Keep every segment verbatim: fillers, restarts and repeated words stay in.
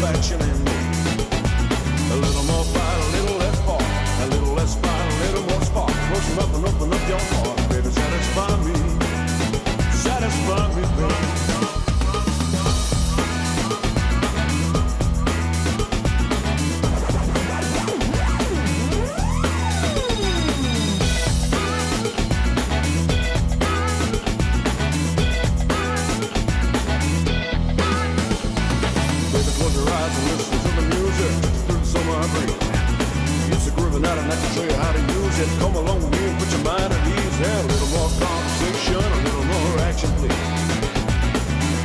satisfaction in me. A little more fight, a little less part. A little less fight, a little more spark. Close enough and open up your heart. Baby, satisfy me. Satisfy me, baby. Come along with me and put your mind at ease. Yeah, a little more conversation, a little more action, please.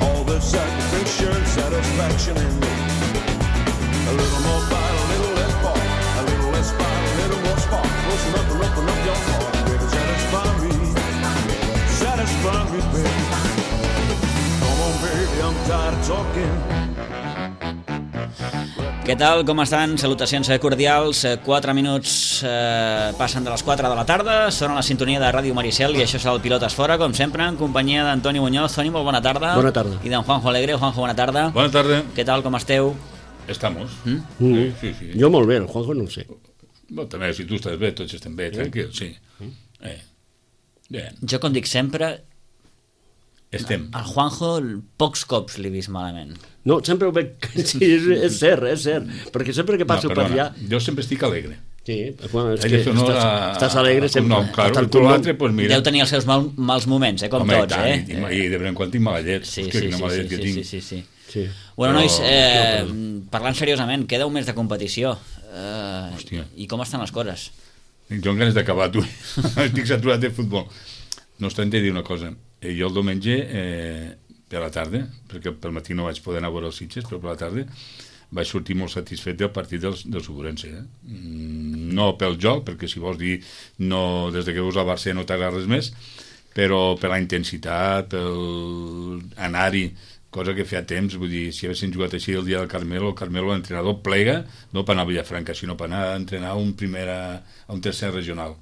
All this satisfaction, satisfaction in me. A little more fight, a little less part. A little less fight, a little more spark. Close enough and open up your heart. Baby, satisfy me. Satisfy me, baby. Come on, baby, I'm tired of talking. Què tal, com estan? Salutacions cordials. quatre minuts eh, passen de les quatre de la tarda, són a la sintonia de Ràdio Maricel i això és el Pilotes Fora, com sempre, en companyia d'Antoni Muñoz. Toni, molt bona tarda. Bona tarda. I d'en Juanjo Alegre. Juanjo, bona tarda. Bona tarda. Què tal, com esteu? Estamos. Mm? Mm. Sí, sí, sí. Jo molt bé, el Juanjo no ho sé. Bueno, també, si tu estàs bé, tots estem bé, tranquil, sí. Eh. Bé, Jo, com dic sempre, estem. al Juanjo pocs cops l'he vist malament. No, sempre ho veig... Sí, és, és cert, és cert. Perquè sempre que passo no, per allà... Jo sempre estic alegre. Sí, bueno, és Hay que que fer honor estàs, a- estàs alegre sempre. No, claro, Hasta el tu cognom. l'altre, pues mira. Deu tenir els seus mal, mals moments, eh, com Home, tots, tant, eh? I, i de vegades en quan tinc mala llet. Sí, És que sí, quina sí, mala sí, llet que sí, tinc. sí, sí, sí. Sí. Bueno, Però- nois, eh, no, parlant seriosament, queda un mes de competició. Eh, Hòstia. I com estan les coses? Jo amb ganes d'acabar, tu. Estic saturat de futbol. No obstant, he de dir una cosa. Eh, Jo el diumenge, eh, per la tarda, perquè pel matí no vaig poder anar a veure els Sitges, però per la tarda vaig sortir molt satisfet del partit del, del Suburense. Eh? Mm, no pel joc, perquè si vols dir no, des de que veus el Barça no t'agrada res més, però per la intensitat, pel anar-hi, cosa que feia temps, vull dir, si haguessin jugat així el dia del Carmelo, el Carmelo, l'entrenador, plega, no per anar a Villafranca, sinó per anar a entrenar a un, primera, a un tercer regional,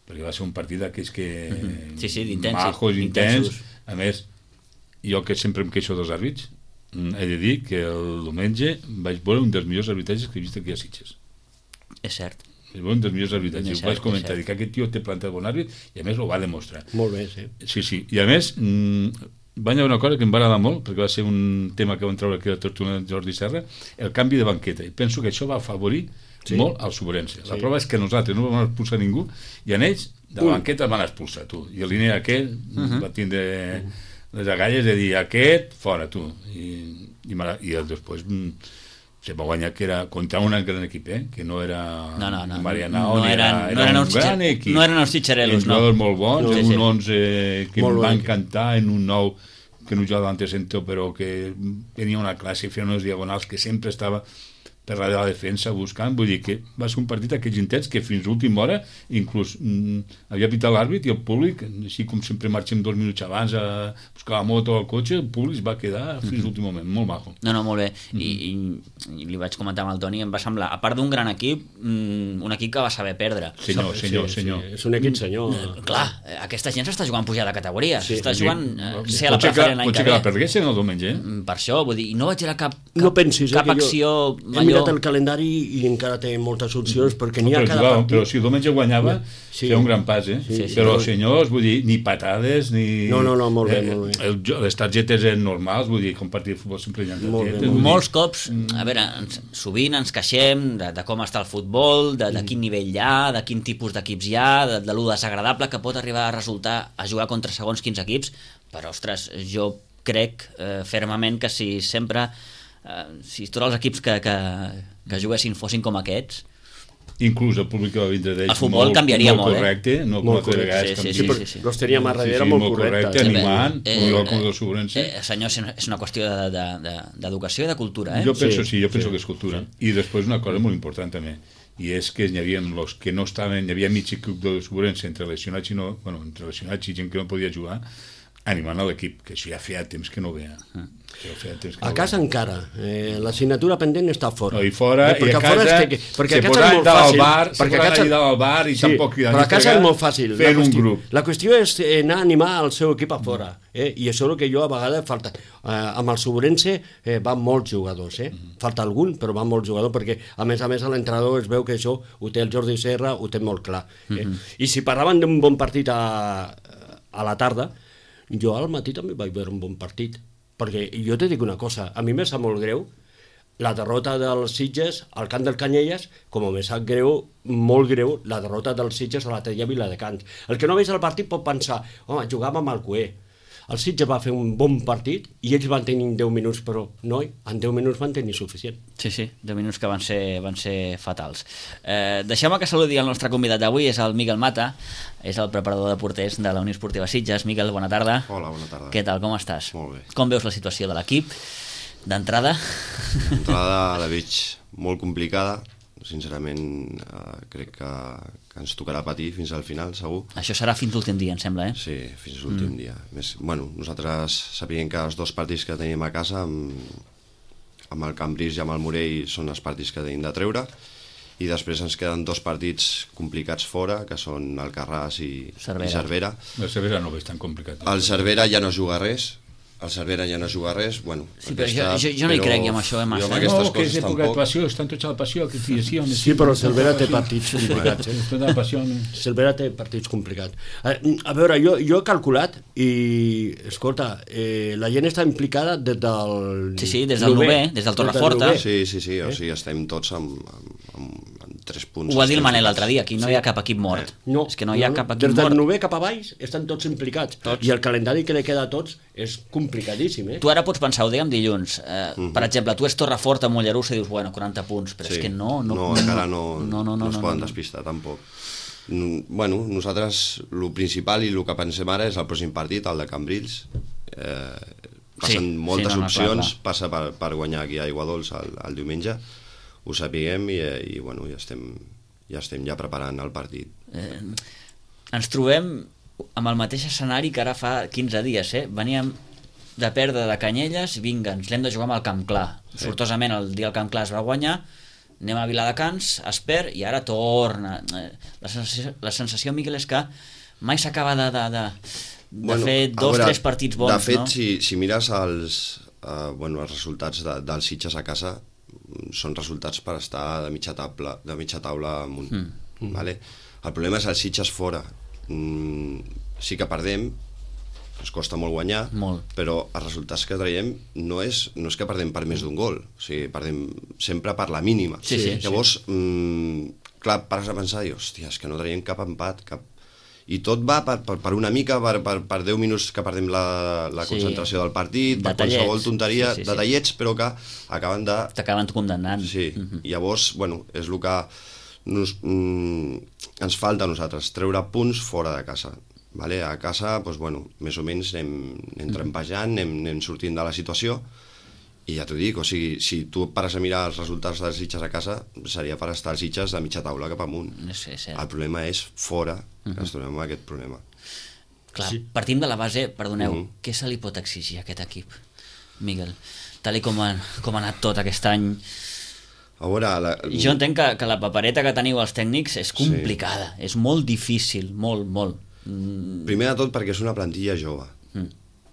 perquè va ser un partit d'aquells que... Sí, sí, d'intens, majos, intensos. intens, a més, jo que sempre em queixo dels àrbits, he de dir que el diumenge vaig veure un dels millors arbitratges que he vist aquí a Sitges. És cert. Vaig veure un dels millors arbitratges. És Ho vaig cert, comentar, és dic que aquest tio té plantat bon àrbit i a més ho va demostrar. Molt bé, sí. Sí, sí. I a més, mmm, va haver una cosa que em va agradar molt, perquè va ser un tema que van treure aquí a la tertúlia de Jordi Serra, el canvi de banqueta. I penso que això va afavorir sí. molt al Suburense. La Sí. prova és que nosaltres no vam expulsar ningú i en ells de la banqueta van expulsar, tu. I el línia aquell uh-huh. va tindre les agalles de dir aquest, fora, tu. I, i, i després mm, se va guanyar que era contra un gran equip, eh? Que no era No, no, no. Marianao, no ni eren, era, no era eren un els gran xitxa- equip. no eren els xitxarelos, no. Jugadors molt bons, No, no, sí, un sí. onze que Molt em bon va equip. encantar, en un nou que no jugava davant de centre, però que tenia una classe, feia unes diagonals que sempre estava per la de la defensa buscant, vull dir que va ser un partit d'aquells intents que fins a l'última hora inclús mm, havia pitat l'àrbit i el públic, així com sempre marxem dos minuts abans a buscar la moto o el cotxe, el públic va quedar fins a l'últim moment, molt maco. No, no, molt bé. I, i, i li vaig comentar amb el Toni, em va semblar, a part d'un gran equip, mm, un equip que va saber perdre. Senyor, senyor, sí, senyor. Sí, és un equip senyor. Eh, Clar, eh, aquesta gent s'està jugant pujar de categoria, Sí, s'està sí. jugant eh, ser a la Potser que, preferent l'any potser que que la ve. perguessin el diumenge, eh? Mm, Per això, vull dir, i no vaig veure cap, cap, No pensis, cap eh, que acció jo he allò... mirat el calendari i encara té moltes opcions perquè n'hi ha Però, cada jugava, partit. però si el diumenge guanyava Sí. feia un gran pas, eh? Sí, sí. Però senyors, vull dir, ni patades ni... No, no, no, molt bé, eh, molt bé. El, jo- les targetes eren normals, vull dir, com partit de futbol sempre hi ha Molt bé, targetes. molt vull dir, Molts cops, a veure, ens, sovint ens queixem de, de com està el futbol, de, de quin nivell hi ha, de quin tipus d'equips hi ha, de, de lo desagradable que pot arribar a resultar a jugar contra segons quins equips, però, ostres, jo crec eh, fermament que si sempre, eh, si tots els equips que, que, que juguessin fossin com aquests, inclús el públic que va vindre d'ells El futbol molt, canviaria molt molt, eh? correcte, no com Molt altres correcte, vegades sí, que sí, em sí, dius- sí. Los tenia a darrere sí, molt molt correctes. correcte, animant, Eh, igual eh, com el Sobrense. eh, senyor, és una qüestió de- de- de- d'educació i de cultura, eh? Jo penso, Sí, sí, jo penso sí, que és cultura. I després una cosa molt important també, i és que hi havia els que no estaven, hi havia mig equip de Sobrense entre lesionats i no, bueno, entre lesionats i gent que no podia jugar, animant a l'equip, que això ja feia temps que no veia. Ja feia temps que A no casa veia. encara, eh, l'assignatura pendent està fora. No, i fora, Eh, i a perquè fora casa, es té que- perquè se a casa posaven és molt dalt al fàcil, bar, se perquè a posaven casa- allà dalt al bar i Sí, tampoc... però a casa és molt fàcil. La Fer un qüestió- grup. La qüestió és eh, anar a animar el seu equip a fora, eh? I això és el que jo a vegades falta. Eh, amb el Sobrense eh, van molts jugadors, eh? Falta algun, però van molts jugadors, perquè a més a més l'entrenador es veu que això ho té el Jordi Serra, ho té molt clar. Eh? I si parlaven d'un bon partit a, a la tarda, jo al matí també vaig veure un bon partit, perquè jo te dic una cosa, a mi me sap molt greu la derrota dels Sitges al camp del Canyelles, com me sap greu, molt greu, la derrota dels Sitges a la Tella Viladecans. El que no veig el partit pot pensar, home, jugàvem amb el Cué. El Sitges va fer un bon partit i ells van tenir deu minuts, però no, en deu minuts van tenir suficient. Sí, sí, deu minuts que van ser, van ser fatals. Eh, Deixeu-me que saludi el nostre convidat d'avui, és el Miguel Mata, és el preparador de porters de la Unió Esportiva Sitges. Miguel, bona tarda. Hola, bona tarda. Què tal, com estàs? Molt bé. Com veus la situació de l'equip? D'entrada? L'entrada la veig molt complicada, sincerament eh, crec que, que ens tocarà patir fins al final, segur. Això serà fins l'últim dia, em sembla, eh? Sí, fins a l'últim mm. dia. Més, bueno, nosaltres sapiguem que els dos partits que tenim a casa, amb, amb el Cambrils i amb el Morell, són els partits que tenim de treure, i després ens queden dos partits complicats fora, que són Alcarràs i Cervera. i Cervera. La Cervera no ho veig tan complicat. El Cervera ja no juga res, el Cervera ja no juga res, bueno... Sí, però jo, jo, jo no hi crec amb això, eh, massa. jo amb eh? aquestes No, que és coses època de tampoc... passió, estan tots a la passió, que sí, sí, home, Sí, però el Cervera té passió. partits complicats, eh? Tot a la passió, home. Cervera té partits complicats. A, a veure, jo, jo he calculat i, escolta, eh, la gent està implicada des del... Sí, sí, des del novè, des del Torreforta. novè. Sí, sí, sí, o sigui, estem tots amb, amb, amb, amb tres punts. Ho va dir el estem Manel ficats. l'altre dia, aquí no hi ha cap equip mort. No, És que no hi ha no, cap no. equip Des del mort. novè cap a baix estan tots implicats. Tots. I el calendari que li queda a tots és complicadíssim, eh? Tu ara pots pensar, ho dèiem dilluns, eh, uh -huh. per exemple, tu és Torreforta, Mollerussa i dius, bueno, quaranta punts, però Sí. és que no... No, no, encara no, no, no, no, no es no, poden no. despistar, tampoc. Mm, Bueno, nosaltres, el principal i el que pensem ara és el pròxim partit, el de Cambrils. Eh, passen Sí, moltes sí, no, no, clar, opcions, clar. passa per, per guanyar aquí a Aiguadols el, el diumenge, ho sapiguem i, i bueno, ja estem, ja estem ja preparant el partit. Eh, ens trobem amb el mateix escenari que ara fa quinze dies, eh? Veníem de perdre de Canyelles, vinga, ens l'hem de jugar amb el Camp Clar. Sí. Sortosament el dia el Camp Clar es va guanyar, anem a Viladecans, es perd i ara torna. Eh, La sensació, la sensació Miquel, és que mai s'acaba de, de, de, de fer a dos, veure, tres partits bons, de fet, no? si, si mires els, uh, bueno, els resultats de, dels Sitges a casa, són resultats per estar de mitja taula, de mitja taula amunt. Mm. Vale? El problema és els Sitges fora. Mm, sí que perdem, ens costa molt guanyar, Molt. però els resultats que traiem no és, no és que perdem per més d'un gol, o sigui, perdem sempre per la mínima. Sí, sí, Llavors, mm, clar, pares a pensar, i, hòstia, és que no traiem cap empat, cap... I tot va per, per, per una mica, per, per, per deu minuts que perdem la, la Sí. concentració del partit, per Detallets. qualsevol tonteria, Sí, sí, sí. detallets, però que acaben de... T'acaben condemnant. Sí, Mhm. llavors, bueno, és el que nos, mm, ens falta a nosaltres, treure punts fora de casa. Vale? A casa, doncs, bueno, més o menys anem, anem trempejant, anem, anem sortint de la situació, i ja t'ho dic, o sigui, si tu pares a mirar els resultats dels Sitges a casa, seria per estar als Sitges de mitja taula cap amunt. No sé, sí. El problema és fora, que ens trobem amb aquest problema. Clar, sí. Partim de la base, perdoneu, Mhm. què se li pot exigir a aquest equip, Miguel? Tal i com ha, com ha anat tot aquest any. A veure... La... Jo entenc que, que la papereta que teniu els tècnics és complicada, sí. És molt difícil, molt, molt. Mm, Primer de tot perquè és una plantilla jove. Mm.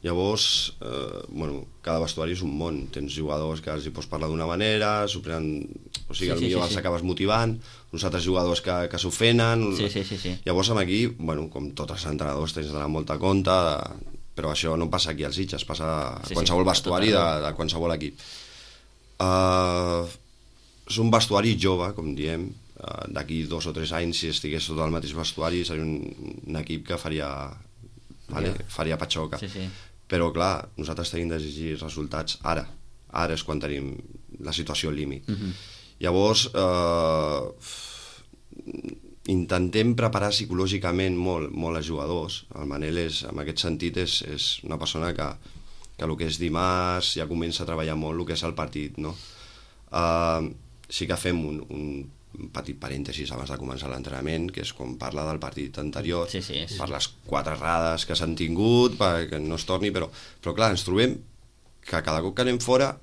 Llavors, eh, bueno, cada vestuari és un món. Tens jugadors que els hi pots parlar d'una manera, s'ho prenen, o sigui, Sí, sí, sí, millor sí, els sí. acabes motivant, uns altres jugadors que, que s'ofenen... Sí, sí, sí, sí. Llavors, amb aquí, bueno, com tots els entrenadors, tens d'anar molt a compte, de... però això no passa aquí als Sitges, passa a Sí, sí, qualsevol a vestuari tot de, arreu. de qualsevol equip. Uh, és un vestuari jove, com diem, uh, d'aquí dos o tres anys, si estigués tot el mateix vestuari, seria un, un equip que faria, vale, faria patxoca. Sí, sí. Però, clar, nosaltres tenim d'exigir resultats ara. Ara és quan tenim la situació al límit. Mhm. Llavors, eh, intentem preparar psicològicament molt, molt els jugadors. El Manel, és, en aquest sentit, és, és una persona que, que el que és dimarts ja comença a treballar molt el que és el partit, no? Eh, sí que fem un, un un petit parèntesis abans de començar l'entrenament, que és com parla del partit anterior, Sí, sí, és- per les quatre errades que s'han tingut, perquè no es torni, però, però clar, ens trobem que cada cop que anem fora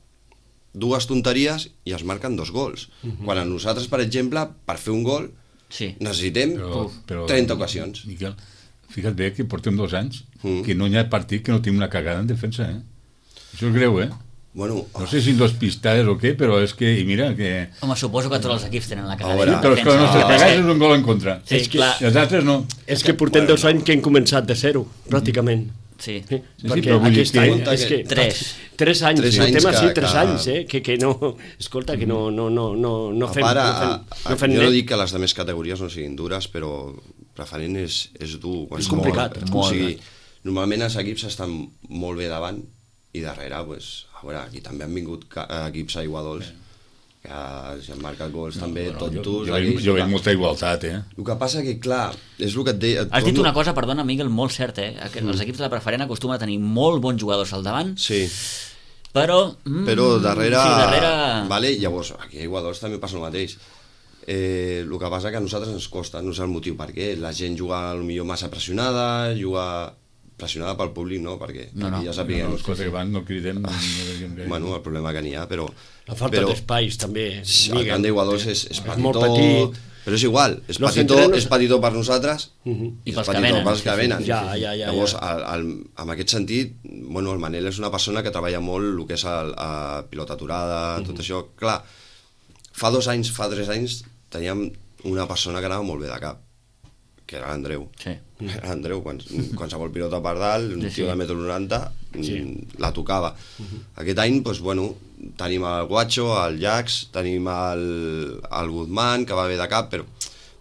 dues tonteries i es marquen dos gols. Mhm. Quan a nosaltres, per exemple, per fer un gol Sí. necessitem trenta ocasions. Miquel, fica't bé que portem dos anys Mm. que no hi ha partit que no tinc una cagada en defensa, eh? Això és greu, eh? Bueno, No sé si dos pistades o què, però és que, i mira, que... Home, suposo que tots els equips tenen la A cagada. veure, Sí, però és que la nostra Defensa. cagada és un gol en contra. Sí, És que- clar. I els altres no. És que portem Bueno, dos anys que hem començat de zero, pràcticament. Sí. Sí, sí, perquè però vull dir aquest que- any és que... Tres. Tres anys, Tres tres anys anys que- sí, tres que- anys, eh? Que, que no... Escolta, que no, no, no, no, no a fem... part, no a, fem, a, no fem jo no net. dic que les altres categories no siguin dures, però preferent és, és dur. És complicat, Molt, molt. O sigui, normalment els equips estan molt bé davant i darrere, pues, a veure, aquí també han vingut ca- equips a Iguadols que s'han marcat gols no, també, No, tontos. jo, jo, veig, aquells, jo veig clar. molta igualtat, eh? El que passa que, clar, és el que et deia... et Has dit torno- una cosa, perdona, Miguel, molt certa, eh? Que els equips de la preferent acostumen a tenir molt bons jugadors al davant, Sí, però... Mm, però darrere... Sí, darrere... Vale, llavors, aquí a Iguadols també passa el mateix. Eh, el que passa que a nosaltres ens costa, no sé el motiu per què. La gent juga potser massa pressionada, juga pressionada pel públic, no? Perquè No, no. aquí ja No, sapiguem... no, les coses que van no cridem. No, no, no, Bueno, el problema que n'hi ha, però... La falta però, d'espais, també. El Miguel. camp d'Iguadols és, és És petitó, molt petit. però és igual, és Los petitó, entrenos- és petitó per nosaltres Mhm. I és pels que petitó venen, pels sí, que sí, venen. ja, ja, ja, Llavors, ja. el, el, en aquest sentit, bueno, el Manel és una persona que treballa molt el que és el, a pilota aturada, Mhm. tot això. Clar, fa dos anys, fa tres anys, teníem una persona que anava molt bé de cap, que era l'Andreu. Sí. Era l'Andreu, quan, qualsevol pilota per dalt, un Sí, tio sí. de metro noranta, Sí. mm, la tocava. Aquest any, doncs, bueno, tenim el Guacho, el Jax, tenim el, el Guzmán, que va bé de cap, però,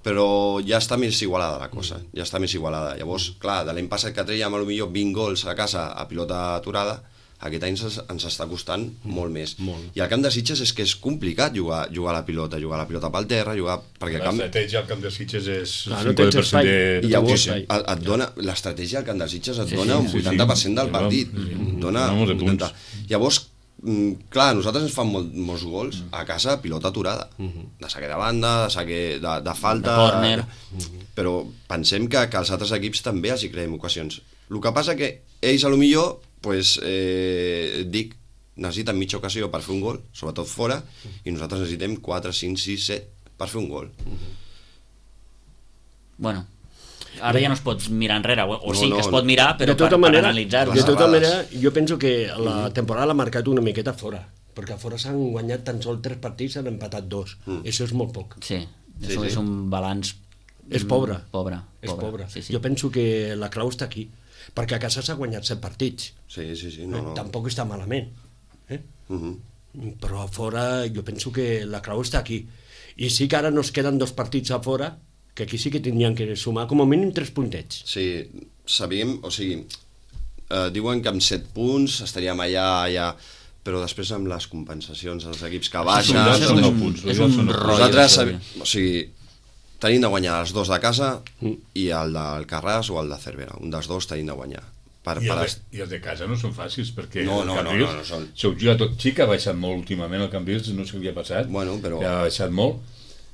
però ja està més igualada la cosa, ja està més igualada. Llavors, clar, de l'any passat que trèiem potser vint gols a casa a pilota aturada, aquest any ens, ens està costant molt més. Molt. I al camp de Sitges és que és complicat jugar, jugar a la pilota, jugar a la pilota pel terra, jugar... Perquè el camp, L'estratègia al camp de Sitges és Clar, no cinquanta per tens cent espai. de... i llavors Sí, sí. et, et dona l'estratègia al camp dels Sitges et Sí, dona sí, un sí, sí. vuitanta per cent del Sí, partit, sí, sí. et dona Dona molts de un vuitanta. punts. Llavors, mm, clar, a nosaltres ens fan molt, molts gols a casa a pilota aturada, de saque de banda, de saque de, de falta, De córner. però pensem que, que els altres equips també els hi creem ocasions. El que passa que ells a lo millor, pues, eh, dic, necessiten mitja ocasió per fer un gol, sobretot fora, i nosaltres necessitem quatre, cinc, sis, set per fer un gol. Bueno, ara ja no es pot mirar enrere, o, o No, sí que no, es pot mirar, però de tota per, manera, per analitzar-ho. de les tota errades. manera, jo penso que la temporada l'ha marcat una miqueta fora, perquè a fora s'han guanyat tan sols tres partits, s'han empatat dos. Mm. Això és molt poc. Sí, Sí, és, un- sí. és un balanç... És pobre. mm, Pobre, És pobre. Sí, sí. Jo penso que la clau està aquí, perquè a casa s'ha guanyat set partits. Sí, sí, sí, no, no. Tampoc està malament. Eh? Uh Però a fora jo penso que la clau està aquí. I sí que ara nos queden dos partits a fora, que aquí sí que tindrien que sumar com a mínim tres puntets. Sí, sabíem, o sigui, eh, diuen que amb set punts estaríem allà, allà, però després amb les compensacions dels equips que Això baixen... són- és són un, nou punts, és això un són nou rotllo. Nosaltres, això, sabi- o sigui, tenim de guanyar els dos de casa i el del Carràs o el de Cervera. Un dels dos tenim de guanyar. Per, I, per els, est- de- I els de casa no són fàcils, perquè No, el no, no, Cambrils, no, no són- s'ho juga tot xic, ha baixat molt últimament el Cambrils, no sé què li ha passat, Bueno, però- que ha baixat molt.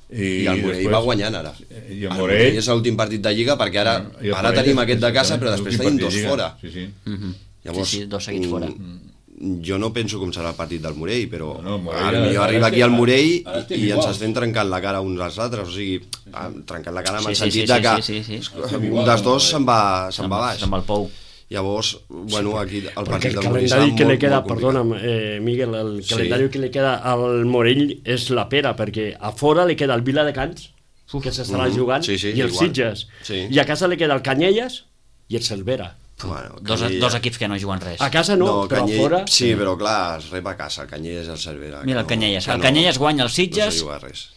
I, el Morell després- va guanyant ara. I el El Morell... Morell és l'últim partit de Lliga perquè ara, I el ara Morell tenim és- aquest de casa però l'últim després tenim partit dos de Lliga. fora. Sí, sí. Mhm. Llavors, sí, sí, dos seguits fora. mm, jo no penso com serà el partit del Morell, però No, no, el Morell ara, ara- jo ara arriba estem- aquí al Morell ara i, estem i ens iguals. estem trencant la cara uns als altres, o sigui, ah, trencant la cara amb Sí, el sí, sentit sí, de sí, que sí, sí, sí. un dels dos se'n va, se'n va baix. Se'n va al pou. Llavors, bueno, aquí el Perquè partit el del Morell serà calendari que molt, li queda, molt complicat. perdona'm, eh, Miguel, el Sí. calendari que li queda al Morell és la pera, perquè a fora li queda el Viladecans, que s'estarà Mhm. jugant, Sí, sí, i el igual. Sitges. Sí. I a casa li queda el Canyelles i el Cervera. Bueno, Dos, Canyella- dos equips que no juguen res. A casa no, però Canyell- a fora... Sí, però clar, es rep a casa, el Canyelles i el Cervera. Mira, el que Canyelles. que El Canyelles guanya els Sitges. No se juga res.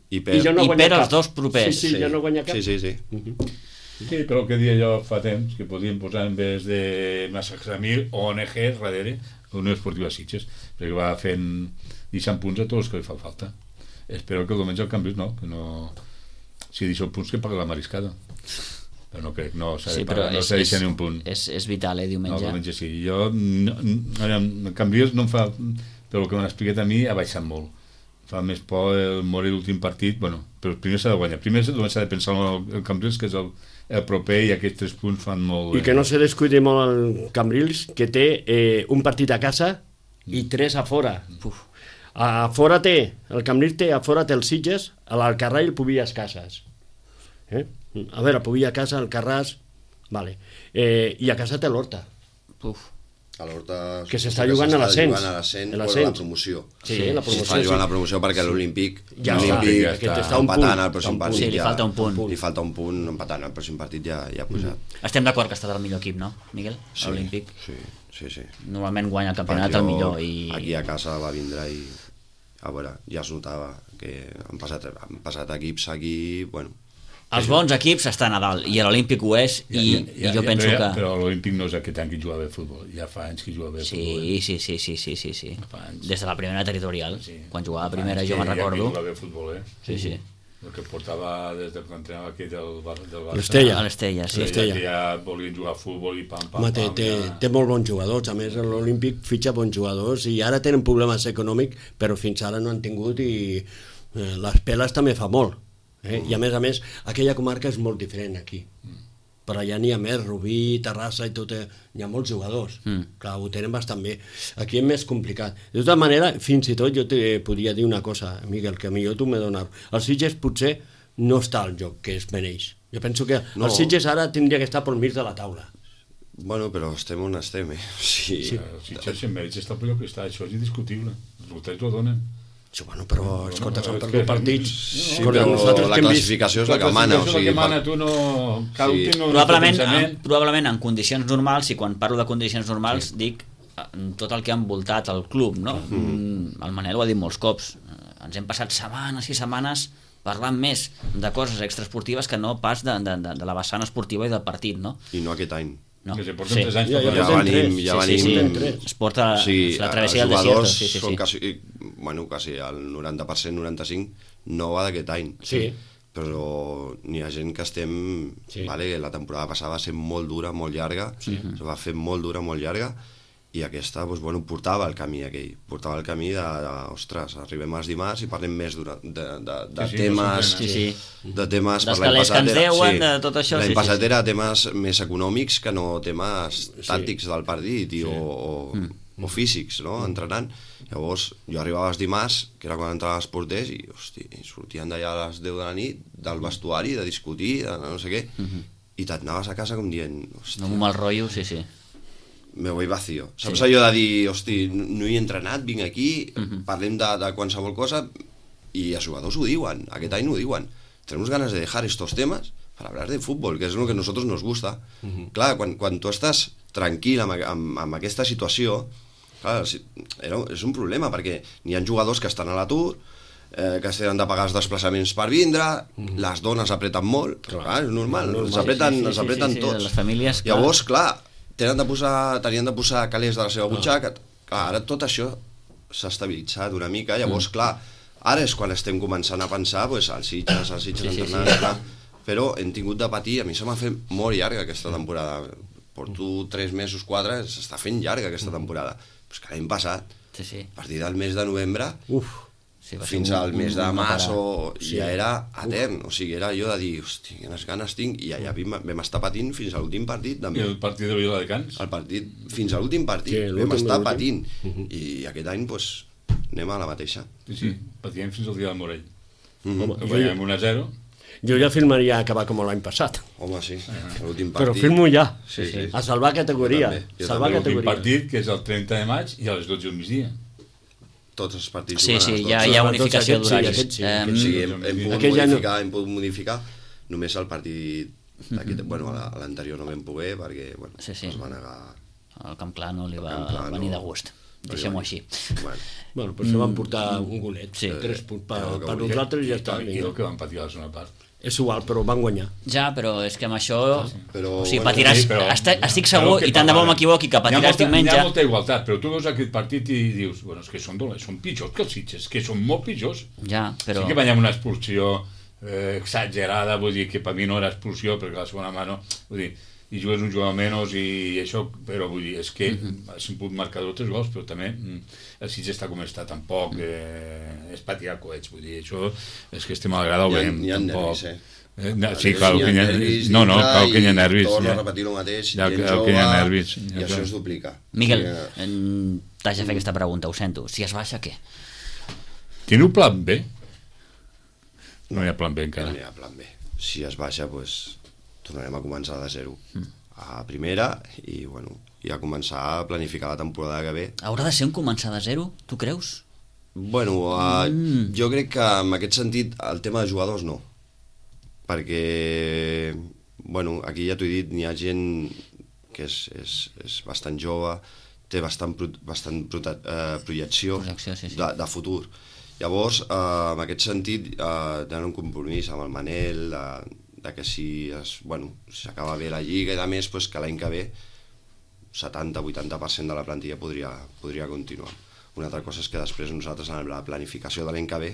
I I perd. ja no I guanya perd els cap. dos propers. Sí, sí, ja no guanya cap. Sí, sí, sí. Sí, però el que dia jo fa temps que podíem posar en vez de Massaxamil o O N G darrere Unió Esportiva Sitges, perquè va fent deixant punts a tots els que li fa falta. Espero que el diumenge el canvis, no? Que no... Si deixa punts que paga la mariscada. Però no crec, no s'ha de Sí, però pagar, no és, s'ha de és, deixar ni un punt. és, és vital, eh, No, diumenge. diumenge sí. Jo, no, no, el canvis no em fa... Però el que m'han explicat a mi ha baixat molt. fa més por el morir l'últim partit, bueno, però primer s'ha de guanyar, primer s'ha de pensar en el, el Cambrils, que és el, el proper, i aquests tres punts fan molt... I que no se descuide molt el Cambrils, que té eh, un partit a casa i tres a fora. Uf. A fora té, el Cambrils té, a fora té els Sitges, a l'Alcarrà i el Pubillas Cases. Eh? A veure, Pubillas Cases, Alcarràs, vale. Eh, i a casa té l'Horta. Uf. A l'Horta... Que s'està jugant a l'ascens. A l'ascens, a bueno, la promoció. Sí, la promoció. S'està jugant a la promoció perquè l'Olímpic... Ja no, està, l'Olímpic ja està, està un empatant punt. al pròxim partit. Sí, li falta un punt. Li falta un punt, empatant al pròxim partit ja, ja ha posat. Mm. Estem d'acord que ha estat el millor equip, no, Miguel? Sí, L'Olímpic. Sí, sí, sí. Normalment guanya el campionat el millor. I... Aquí a casa va vindre i... A veure, ja es notava que han passat, han passat equips aquí... Bueno, els bons equips estan a dalt, i l'Olímpic ho és, i, ja, ja, ja, i jo penso però, que... Però l'Olímpic no és aquest any que juga bé a futbol, ja fa anys que juga bé a sí, futbol. Eh? Sí, sí, sí, sí, sí, sí. Des de la primera territorial, sí. Quan jugava a primera jo me'n recordo. Ja que juga bé a futbol, eh? Sí, sí. El que portava des de quan entrenava aquí del, del Barça. L'Estella. L'Estella, sí. L'Estella. Que ja volien jugar a futbol i pam, pam, Home, té, pam. té, Ja... té molt bons jugadors, a més l'Olímpic fitxa bons jugadors i ara tenen problemes econòmics, però fins ara no han tingut i eh, les peles també fa molt. Eh? Mm. I a més a més, aquella comarca és molt diferent aquí. Mm. Per allà n'hi ha més, Rubí, Terrassa i tot, eh, hi ha molts jugadors. Mm. Clar, ho tenen bastant bé. Aquí és més complicat. De tota manera, fins i tot jo te podria dir una cosa, Miguel, que a millor tu m'he donat. Els Sitges potser no està al joc que es mereix. Jo penso que no. Els Sitges ara tindria que estar pel mig de la taula. Bueno, però estem on estem, eh? Sí. Sí. Els Sitges en mèrits està per allò que està, això és indiscutible. Els resultats ho donen. Sí, bueno, però, escolta, s'han no, perdut partits. Sí, però la classificació és la que mana. La classificació és la que mana, tu no... Cada sí. no probablement, en, probablement en condicions normals, i quan parlo de condicions normals sí. dic tot el que ha envoltat el club, no? Mm. El Manel ho ha dit molts cops. Ens hem passat setmanes i setmanes parlant més de coses extraesportives que no pas de, de, de, de la vessant esportiva i del partit, no? I no aquest any. No. Que se porten sí. tres anys ja, ja, ja, ja venim, ja sí, venim... Sí, sí. Es porta sí, la travessia del desierto. Sí, sí, sí. Quasi, bueno, quasi el noranta per cent, noranta-cinc per cent no va d'aquest any. Sí. Però n'hi ha gent que estem... Sí. Vale, la temporada passada va ser molt dura, molt llarga, sí. Se va fer molt dura, molt llarga, i aquesta, doncs, bueno, portava el camí aquell, portava el camí de, de ostres, arribem als dimarts i parlem més de, de, de, de sí, sí, temes... Sí, sí. De temes... Dels calés que ens deuen, sí, de tot això. L'any sí, passat sí, sí. era temes més econòmics que no temes tàctics sí. del partit i, sí. o, o, mm. o físics, no?, entrenant. Llavors, jo arribava els dimarts, que era quan entraven els porters, i, hosti, sortien d'allà a les deu de la nit, del vestuari, de discutir, de no sé què, mm-hmm. i t'anaves a casa com dient... No, un mal rotllo, sí, sí. Me voy vacío. Saps sí. allò de dir, hosti, no he entrenat, vinc aquí, uh-huh. parlem de, de qualsevol cosa, i els jugadors ho diuen, aquest any ho diuen. Tenemos ganas de dejar estos temas para hablar de fútbol, que és el que a nosotros nos gusta. Uh-huh. Clar, quan, quan tu estàs tranquil amb, amb, amb aquesta situació, clar, era, és un problema, perquè n'hi ha jugadors que estan a l'atur, eh, que tenen de pagar els desplaçaments per vindre, uh-huh. les dones apreten molt, clar, clar és normal, normal. els apreten, sí, sí, sí, apreten sí, sí, tots. Les famílies, clar. Llavors, clar, tenen de posar, tenien de posar calés de la seva butxaca, clar, ara tot això s'ha estabilitzat una mica, llavors, clar, ara és quan estem començant a pensar, pues, als Sitges, als Sitges sí, entrenant, sí, sí. Clar, però hem tingut de patir, a mi se m'ha fet molt llarga aquesta temporada, porto tres mesos, quatre, s'està fent llarga aquesta temporada, però és que l'any passat, sí, sí. a partir del mes de novembre, uf, sí, fins un, al mes de març o sí. ja era etern, o sigui, era allò de dir, hosti, quines ganes tinc, i allà vam, vam estar patint fins a l'últim partit també. I el partit de Vila de Cans? El partit, fins a l'últim partit, sí, vam estar patint, uh-huh. i aquest any, doncs, anem a la mateixa. Sí, sí, patíem fins al dia del Morell. Uh-huh. Home, guanyem un a zero. Jo ja firmaria acabar com l'any passat. Home, sí, l'últim partit. Però firmo ja, sí, sí. a salvar categoria. Salvar l'últim partit, que és el trenta de maig, i a les dotze del migdia. Tots els partits sí, sí, hi ha, hi ha unificació d'horaris. Sí, um, sí, hem, hem, pogut modificar, hem pogut modificar només el partit d'aquest, bueno, a l'anterior no vam poder perquè bueno, sí, sí. es va negar. El Camp Clar no li va venir de gust, deixem-ho així. Bueno, bueno però se van portar un golet, sí. tres punts per, per nosaltres i ja està. I el que van patir a la segona part. És igual, però van guanyar. Ja, però és que amb això... Però, o sigui, bueno, patiràs... sí, però, estic, estic segur, i tant de bo m'equivoqui, que patiràs diumenge... Hi ha molta igualtat, però tu veus aquest partit i dius, bueno, és que són dolents, són pitjors que els Sitges, que són molt pitjors. Ja, però... Sí que veiem una expulsió eh, exagerada, vull dir que per mi no era expulsió, perquè la segona mà no... Vull dir, i jugues un jugador menys i això, però vull dir, és que uh-huh. has pogut marcar dos gols, però també mm, el Sitges està com està, tampoc... Eh, és patir coets, vull dir, això és que estem a la grada ho Hi ha, veiem. hi ha tampoc. nervis, eh? Eh, no, sí, clar, que hi ha nervis. No, no, clar que hi ha nervis. Torno ja. a repetir el mateix, Ja, gent clar que hi ha jove, nervis. i Ja, això clar. es duplica. Miguel, O sigui, en- t'haig de fer aquesta pregunta, ho sento. Si es baixa, què? Teniu plan B? No hi ha plan B encara. no hi ha plan B. Si es baixa, doncs, tornarem a començar de zero. A primera, i, bueno, i a començar a planificar la temporada que ve. Haurà de ser un començar de zero, tu creus? Bueno, uh, mm. jo crec que en aquest sentit el tema de jugadors no, perquè bueno, aquí ja t'ho he dit, n'hi ha gent que és, és, és bastant jove, té bastant, pro, bastant prote, uh, projecció, Projecció, sí, sí. De, de futur. Llavors, uh, en aquest sentit, uh, tenen un compromís amb el Manel, de, de que si es, bueno, si s'acaba bé la Lliga i de més, pues, que l'any que ve setanta a vuitanta per cent de la plantilla podria, podria continuar. Una altra cosa és que després nosaltres en la planificació de l'any que ve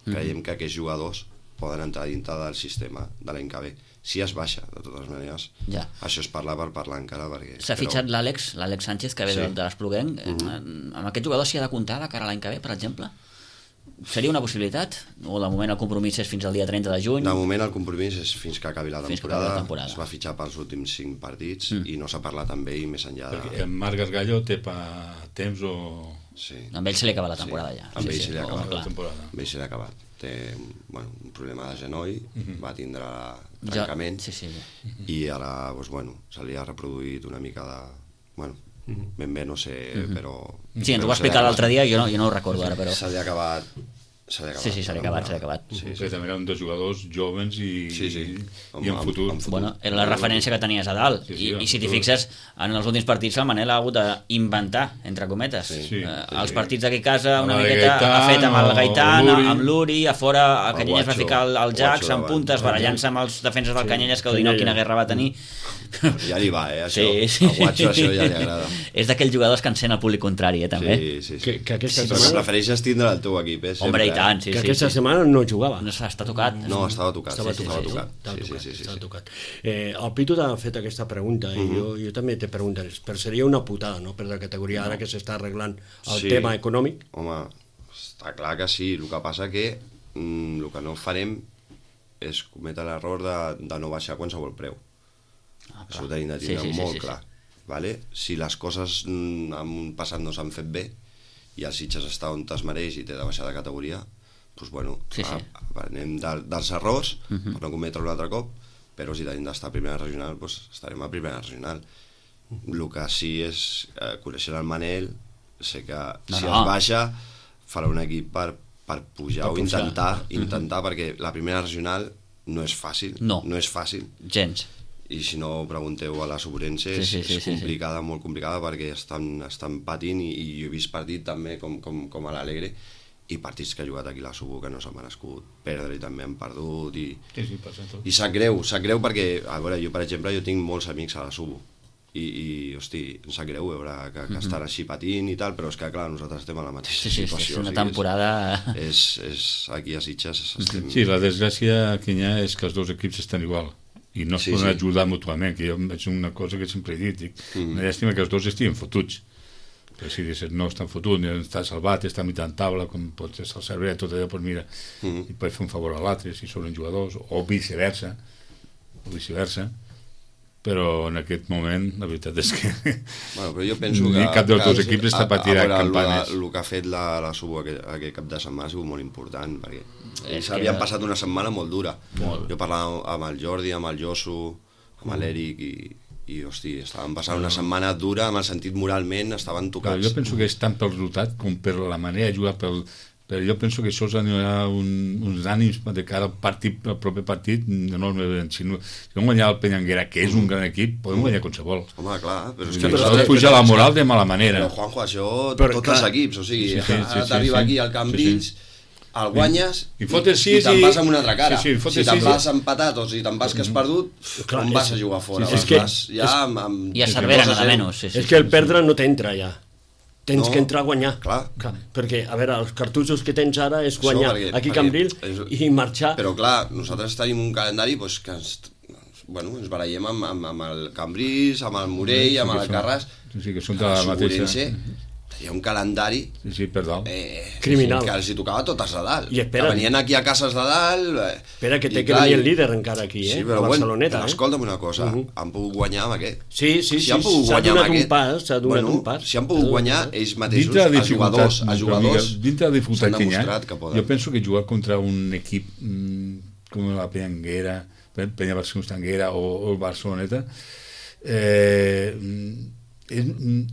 creiem que aquests jugadors poden entrar dintre del sistema de l'any que ve. Si es baixa, de totes maneres, Ja. això es parla per parlar encara. perquè S'ha però- fitxat l'Àlex, l'Àlex Sánchez, que ve Sí. de, de l'Espluguenc. Mm-hmm. Amb aquest jugador s'hi ha de comptar de cara a l'any que ve, per exemple? Seria una possibilitat? O de moment el compromís és fins al dia trenta de juny? De moment el compromís és fins que acabi la Fins que temporada. acabi la temporada. Es va fitxar pels últims cinc partits mm. i no s'ha parlat amb ell més enllà de... Perquè en Marc Gasgallo té pa temps o... Sí. Amb ell se li acaba la temporada Sí. ja. Amb ell se li oh, acaba clar. la temporada. Amb ell se l'ha acabat. Té bueno, un problema de genoll, Mhm. va tindre Jo- trencament Sí, sí. i ara doncs, bueno, se li ha reproduït una mica de... Bueno, Mhm. ben bé no sé, però... Sí, ens ho però va se li ha explicar l'altre acabat. dia, jo no, jo no ho recordo ara, però... Se li ha acabat... Se li ha acabat. Sí, sí, se li ha acabat, se li ha acabat. Sí, sí. També eren dos jugadors jovens i, Sí, sí. i en Amb- futur. amb futur. Bueno, era la referència que tenies a dalt. Sí, sí, I, en i si t'hi futur. fixes, en els últims partits el Manel ha hagut d'inventar, entre cometes. Sí. Sí, Eh, sí, els sí. partits d'aquí a casa, una Amb el miqueta Gaitán, ha fet amb el o Gaitán, l'Uri. amb l'Uri, a fora a El Canyelles va Guacho, ficar el, el el Jax Guacho en davant. puntes, barallant-se amb els defenses del Canyelles, que ho dir, no, quina guerra va tenir. Ja li va, eh, això. Sí, sí. A Guacho això ja li agrada. És d'aquells jugadors que encén el públic contrari, eh, també. Sí, sí, sí. Que, que aquesta Però que setmana, prefereixes tindre el teu equip, eh? Hombre, sempre, i tant, eh? sí, que sí. aquesta sí. setmana no jugava. No està tocat. No, estava tocat. Estava sí, tocat, estava sí, tocat. estava Sí, tocat, sí, sí, estava sí. tocat. Eh, el Pitu t'ha fet aquesta pregunta i jo, jo també te preguntaré, però seria una putada, no?, per la categoria ara que s'està arreglant el Sí. tema econòmic. Home, està clar que sí. El que passa que mm, el que no farem és cometre l'error de, de no baixar qualsevol preu. Ah, Això ho tenim de Sí, tindre sí, sí, molt sí, sí. clar. Vale? Si les coses mm, en un passat no s'han fet bé i el Sitges està on es mereix i té de baixar de categoria, doncs bueno, Sí, sí. a- aprenem de, dels errors Uh -huh. per no cometre un altre cop, però si tenim d'estar a primera regional, doncs estarem a primera regional. El que sí és eh, conèixer el Manel, sé que No, si no. es baixa farà un equip per, per pujar Per o pujar. intentar, intentar perquè la primera regional no és fàcil, No. no és fàcil, Gens. i si no pregunteu a la Sobrense, Sí, és, sí, sí, és sí, sí. complicada, molt complicada, perquè estan, estan patint, i, i jo he vist partit també com, com, com a l'Alegre, i partits que ha jugat aquí a la Subo que no s'han merescut perdre i també han perdut, i, Sí, sí, passa tot. i sap greu, sap greu perquè, a veure, jo per exemple, jo tinc molts amics a la Subo, i, i hosti, em sap greu veure que, que estan així patint i tal, però és que clar, nosaltres estem a la mateixa Sí, sí, és situació. una o sigui, temporada... És, és, aquí a Sitges estem... Sí, la desgràcia que hi ha és que els dos equips estan igual i no es Sí, poden sí. ajudar mútuament, que jo és una cosa que sempre he dit, dic, Mm. una llàstima que els dos estiguin fotuts, però si dius, no estan fotuts, ni està salvat, està a mitjan taula, com pot ser el cervell, tot allò, doncs mira, Mm. i pot fer un favor a l'altre, si són jugadors, o viceversa, o viceversa, però en aquest moment la veritat és que Bueno, però jo penso ni que... cap dels que dos els- equips està a- patint a veure, campanes. El, el que ha fet la, la Subo aquest, aquest cap de setmana ha sigut molt important, perquè És ells havien que- passat una setmana molt dura. Molt. Jo parlava amb el Jordi, amb el Josu, amb l'Eric, i, i hosti, estaven passant una setmana dura, amb el sentit moralment, estaven Però tocats. jo penso que és tant pel resultat com per la manera de jugar, pel, però jo penso que això us anirà un, uns ànims de cara al partit, al proper partit enorme. Si no, si no guanyar el Peñanguera, que és un gran equip, podem guanyar qualsevol. Home, clar, però és Sí, que... però nosaltres- s'ha de pujar la moral de mala manera. Però, Juanjo, això, Però, tots clar, els equips, o sigui, sí, sí, sí, ara sí, t'arriba sí. aquí al Camp Sí, Vins, sí. el guanyes I fotes i, sis te'n i- vas amb una altra cara. Sí, sí, fotes si te'n sis i- vas empatat o si te'n vas que has perdut, Clar, on és- vas a jugar fora? sí, sí, Vas- és que- vas ja amb, amb, I a amb Cervera, dos a nada zero. menys. Sí, sí, És que el perdre no t'entra ja. Tens No, que entrar a guanyar. clar. Clar. Perquè, a veure, els cartutxos que tens ara és guanyar perquè- aquí a perquè Cambril és- i marxar. Però clar, nosaltres tenim un calendari doncs, que ens, bueno, ens barallem amb, amb, amb el Cambrils, amb el Morell, amb el Carràs. Sí, sí, que són de la mateixa. Sobrense, hi ha un calendari Sí, sí, per dalt. eh, Criminal. que els hi tocava totes de dalt. I espera. Que venien aquí a cases de dalt... Eh, Espera, que té i que clar, venir el i- líder encara aquí, eh? Sí, però a bueno, Barceloneta, però eh? escolta'm una cosa, Uh -huh. han pogut guanyar amb aquest. Sí, sí, Si sí, han pogut s'ha guanyar amb donat un aquest, pas, s'ha donat bueno, un pas. si han pogut guanyar ells mateixos, Dintre de els jugadors, els jugadors dintre de la dificultat s'han que hi ha, demostrat que poden. jo penso que jugar contra un equip mm, com la Penyanguera, Penya Barcelona o, o el Barceloneta, eh, és,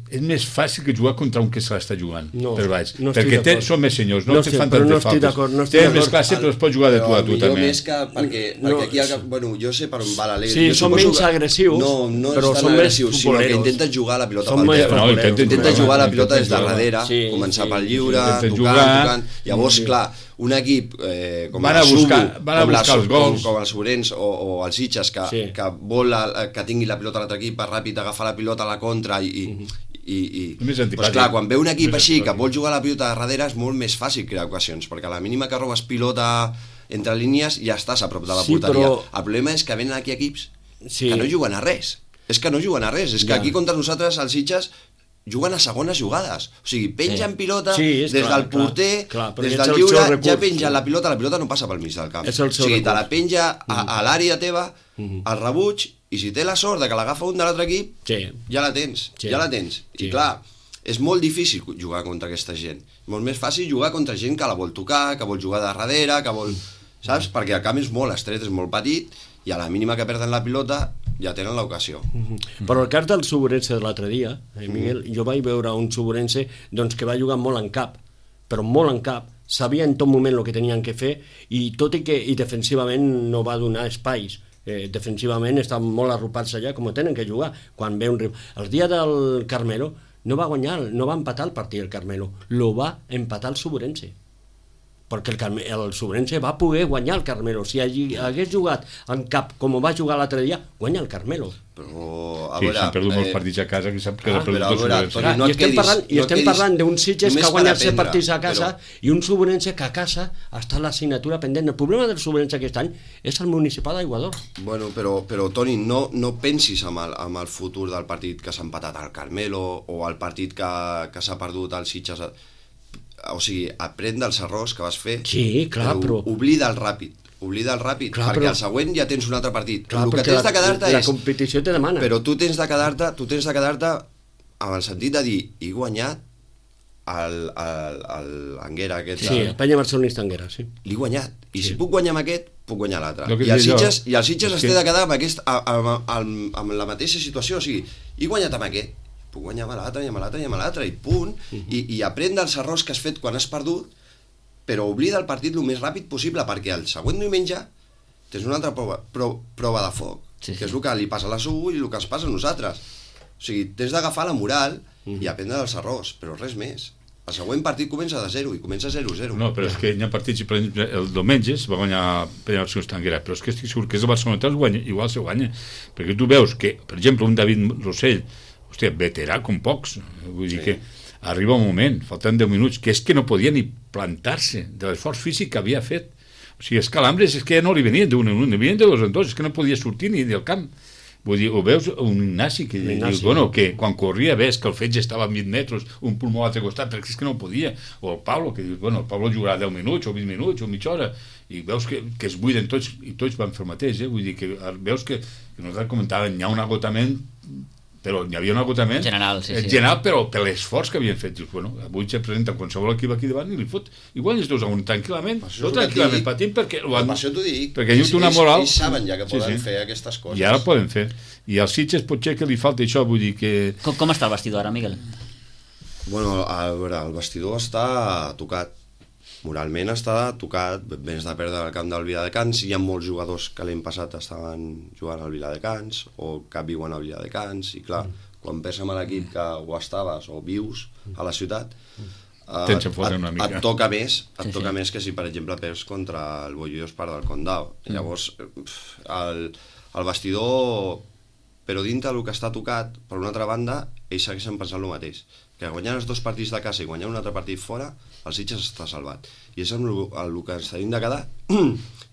és més fàcil que jugar contra un que se l'està jugant No, per baix, no estic perquè té, d'acord. són més senyors, no, No te estic- fan però tantes no estic faltes. d'acord, no estic Tenen més d'acord. classe, però es pot jugar de tu a tu millor també. més que perquè, No, perquè aquí, al, bueno, jo sé per on va l'Alegre. Sí, Jo són suposo menys que- agressius, no, no però és són tan més agressius, sinó que futboleros. intenten jugar la pilota Són pel més terra. No, intenten Intenten jugar, jugar la pilota des de intenten jugar. darrere, Sí, començar sí, pel sí, lliure, intenten tocant, jugar. tocant. Llavors, Sí. clar, un equip eh, com Van la a buscar- Subo, van a com, la, buscar els Su- com, gols. com els Sorens o, o els Sitges, que, Sí. que vol la, que tingui la pilota a l'altre equip, ràpid agafar la pilota a la contra i... i i, i Més pues antipàtic. clar, quan ve un equip Més així que antipàtic. vol jugar la pilota de darrere és molt més fàcil crear ocasions, perquè a la mínima que robes pilota entre línies ja estàs a prop de la Sí, porteria. però- El problema és que venen aquí equips Sí. que no juguen a res. És que no juguen a res. És que Ja. aquí contra nosaltres, els Sitges, juguen a segones jugades. O sigui, pengen Sí. pilota Sí, és des clar, del clar, porter, clar, perquè des és del el lliure, seu recurs. ja pengen la pilota, la pilota no passa pel mig del camp. És el o seu sigui, te la recurs. penja a, a l'àrea teva, al rebuig, i si té la sort de que l'agafa un de l'altre equip, Sí. ja la tens, Sí. ja la tens. Sí. I clar, és molt difícil jugar contra aquesta gent. Molt més fàcil jugar contra gent que la vol tocar, que vol jugar de darrere, que vol... Saps? Perquè el camp és molt estret, és molt petit, i a la mínima que perden la pilota ja tenen l'ocasió. Però el cas del Suburense de l'altre dia, eh, Miguel, jo vaig veure un Suburense doncs, que va jugar molt en cap, però molt en cap, sabia en tot moment el que tenien que fer, i tot i que i defensivament no va donar espais, eh, defensivament estan molt arropats allà com tenen que jugar quan ve un rival. El dia del Carmelo no va guanyar, no va empatar el partit el Carmelo, lo va empatar el Suburense, perquè el, Carme, el Suburense va poder guanyar el Carmelo. Si allí hagués jugat en cap com va jugar l'altre dia, guanya el Carmelo. Però, a Sí, veure... s'han perdut molts eh, partits a casa que sap que ah, s'ha perdut però, a tots veure, els Toni, Clar, no I et estem quedis- parlant, i no et estem quedis parlant d'un Sitges que només ha per guanyat set aprendre, partits a casa però- i un Suburense que a casa està l'assignatura pendent. El problema del Suburense aquest any és el municipal d'Aiguador. Bueno, però, però Toni, no, no pensis amb el, amb el futur del partit que s'ha empatat al Carmelo o el partit que, que s'ha perdut al Sitges. O sigui, aprèn dels errors que vas fer, Sí, clar, però- oblida el ràpid. Oblida el ràpid, Clar, perquè però- al següent ja tens un altre partit. Clar, el que perquè tens la, de quedar-te la és... competició te demana. Però tu tens de quedar-te tu tens de quedar-te amb el sentit de dir he guanyat el, el, el Anguera aquest. Sí, el Penya Barcelonista Anguera, sí. L'he guanyat. I si puc guanyar amb aquest, puc guanyar l'altre. El que I el deia jo, Sitges, i el Sitges és es té que- de quedar amb, aquest, amb, amb, amb, amb la mateixa situació. O sigui, he guanyat amb aquest, puc guanyar amb l'altre, i amb l'altre, i amb l'altre, i punt. Uh -huh. I, I aprèn dels errors que has fet quan has perdut, però oblida el partit el més ràpid possible, perquè el següent diumenge tens una altra prova, pro, prova de foc, Sí, que sí. és el que li passa a la Subo i el que ens passa a nosaltres. O sigui, tens d'agafar la moral uh -huh. i aprendre dels errors, però res més. El següent partit comença de zero i comença zero zero. No, però és que hi ha partits, per exemple, el diumenge es va guanyar Penya Barcelona Anguera, però és que estic segur que és el Barcelona es guanya, igual se guanya, perquè tu veus que, per exemple, un David Rossell, hòstia, veterà com pocs, vull dir Sí. que arriba un moment, faltant deu minuts, que és que no podia ni plantar-se de l'esforç físic que havia fet. O sigui, els calambres és que ja no li venien d'un en un, li venien de dos en dos, és que no podia sortir ni del camp. Vull dir, ho veus un Ignasi que Ignasi. dius, bueno, que quan corria ves que el fetge estava a vint metres, un pulmó a l'altre costat, perquè és que no podia. O el Pablo, que dius, bueno, el Pablo jugarà deu minuts, o vint minuts, o mitja hora, i veus que, que es buiden tots, i tots van fer el mateix, eh? Vull dir, que veus que, que nosaltres comentàvem, hi ha un agotament, però hi havia un agotament General, sí, sí. general, però per l'esforç que havien fet. Dius, bueno, avui se presenta qualsevol equip aquí davant i li fot, igual els dos a un tranquil·lament, Per això és no el que et tranquil·lament dic. patint, perquè ho Per han, això t'ho dic. perquè hi ha Ells- una ells- moral. Ells saben ja que Sí, poden sí. fer aquestes coses. I ara poden fer. I als Sitges potser que li falta això, vull dir que... Com, com està el vestidor ara, Miguel? Bueno, a veure, el vestidor està tocat. Moralment està tocat, vens de perdre el camp del Viladecans, hi ha molts jugadors que l'any passat estaven jugant al Viladecans o que viuen al Viladecans, i clar, quan perds amb l'equip que o estaves o vius a la ciutat, eh, Tens que fotre et, una mica. et toca més, et Sí, toca sí. més que si, per exemple, perds contra el Bollullos per del Condau. Llavors, pf, el, el vestidor, però dintre del que està tocat, per una altra banda, ells segueixen pensant el mateix, que guanyant els dos partits de casa i guanyant un altre partit fora, el Sitges està salvat. I és el, el, el que ens tenim de quedar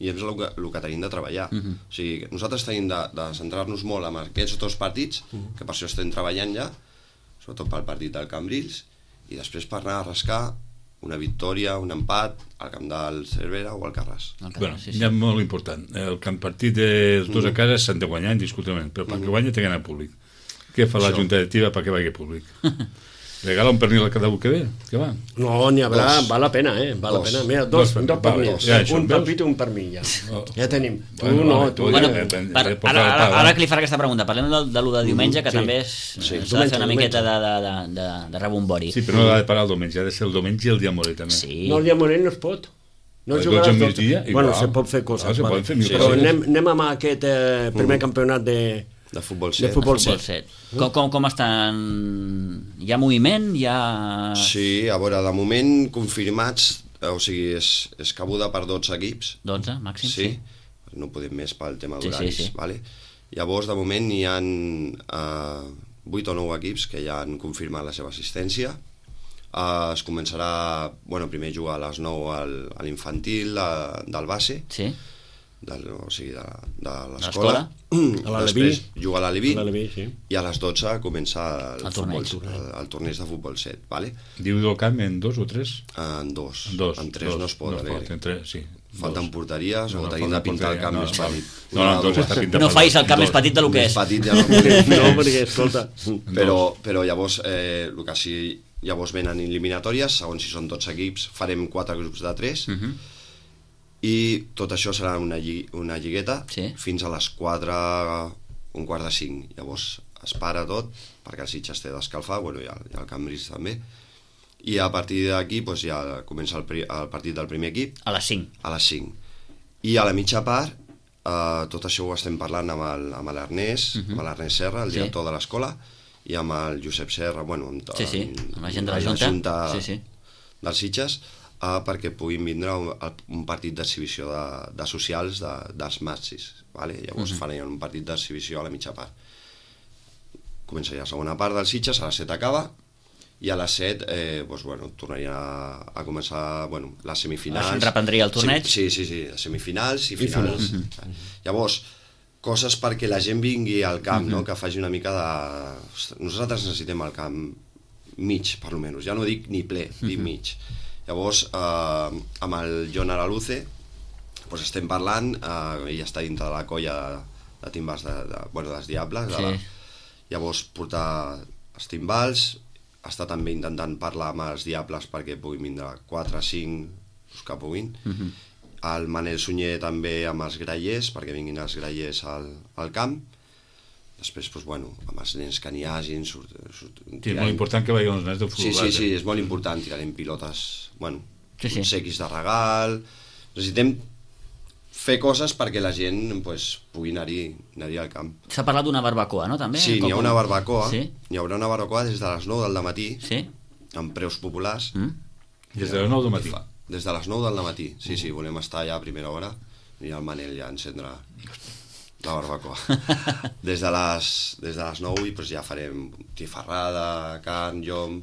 i és el que, el que tenim de treballar. Uh -huh. O sigui, nosaltres tenim de, de centrar-nos molt en aquests dos partits, uh -huh. que per això estem treballant ja, sobretot pel partit del Cambrils, i després per anar a rascar una victòria, un empat al camp del Cervera o al Carràs. Bueno, sí, sí. Ja molt important. El camp partit dels dos a casa s'han de guanyar indiscutiblement, però perquè guanya té que anar públic. Què fa la Junta Directiva perquè vagi públic? Regala un pernil a cada un que ve? Què va? No, n'hi haurà, dos. Val la pena, eh? Val dos. La pena. Mira, dos, dos, dos pernils. Ja, un papit i un pernil, ja. Oh. Ja tenim. Tu bueno, no, tu... Bueno, ja, per, ara, ara, ara que li farà aquesta pregunta, parlem de, de l'u de diumenge, que sí. també és, sí. s'ha de fer una miqueta de, de, de, de, de rebombori. Sí, però no ha de parar el diumenge, ha de ser el diumenge i el dia Morell, també. Sí. No, el dia Morell no es pot. No es jugarà els dos. Bueno, se pot fer coses. Ah, vale. Sí, però anem, anem amb aquest eh, primer mm. campionat de... De futbol set. De futbol set. Com, com, com estan? Hi ha moviment? Hi ha... Sí, a veure, de moment confirmats, o sigui, és, és cabuda per dotze equips. dotze, màxim, sí. sí. No podem més pel tema d'horaris. Sí, sí, sí. Vale? Llavors, de moment, hi ha uh, vuit o nou equips que ja han confirmat la seva assistència. Uh, es començarà, bueno, primer jugar a les nou al, a l'infantil uh, del base. Sí. Del, o sigui, de, de l'escola. Després jugar a l'Aleví sí. i a les dotze comença el, el, futbol, torneig, el, el torneig de futbol set. Vale? Diu del camp en dos o tres? En dos. En, dos, en tres dos, no es poden. No es pot, en tres, sí. Falten dos. porteries no, o no, tenim de pintar el camp no, més no, petit. No, no, no, està pintat no facis el camp més petit del que és. Més petit ja no podem fer. No, perquè, escolta... Però, però llavors, eh, el que sí, llavors venen eliminatòries, segons si són dotze equips, farem quatre grups de tres, uh -huh. i tot això serà una, lli una lligueta sí. fins a les quatre, un quart de cinc. Llavors es para tot, perquè el Sitges té d'escalfar, bueno, i el, i el Cambrils també, i a partir d'aquí doncs, ja comença el, el partit del primer equip. A les cinc. A les cinc. I a la mitja part, eh, tot això ho estem parlant amb l'Ernest, uh -huh. amb l'Ernest Serra, el director sí. de l'escola, i amb el Josep Serra, bueno, amb, sí, sí. amb, amb la gent de la Junta, junta sí, sí. dels Sitges, Uh, perquè puguin vindre un, un partit d'exhibició de, de socials de, dels matxis, vale? Llavors uh -huh. farien un partit d'exhibició a la mitja part. Començaria la segona part dels Sitges, a les set acaba, i a les set eh, doncs, bueno, tornaria a, a començar bueno, les semifinals. Es reprendria el torneig? Sí, sí, sí, les semifinals i finals. Uh -huh. Llavors, coses perquè la gent vingui al camp, uh -huh. no? Que faci una mica de... Nosaltres necessitem el camp mig, per almenys, ja no dic ni ple, uh -huh. dic mig. Llavors, eh, amb el John Araluce doncs estem parlant, eh, ell està dintre de la colla de, de timbals de, de, bueno, dels Diables, sí. de la, llavors portar els timbals, està també intentant parlar amb els Diables perquè puguin vindre quatre, cinc, els que puguin, uh -huh. el Manel Sunyer també amb els grallers, perquè vinguin els grallers al, al camp. Després, doncs, bueno, amb els nens que n'hi hagin... Surt, surt, sí, és molt important que vagin els nens de futbol. Sí, sí, sí, és molt important, tirarem pilotes, bueno, sí, sí. sequis de regal... Necessitem fer coses perquè la gent pues, pugui anar-hi anar al camp. S'ha parlat d'una barbacoa, no, també? Sí, n'hi ha una barbacoa, sí? N'hi haurà una barbacoa des de les nou del matí, sí? amb preus populars. Mm? Des de les nou del matí? Des de les nou del matí, sí, sí, volem estar allà a primera hora i el Manel ja encendre... la barbacoa. Des de les, des de les nou i pues, ja farem tifarrada, carn, llom...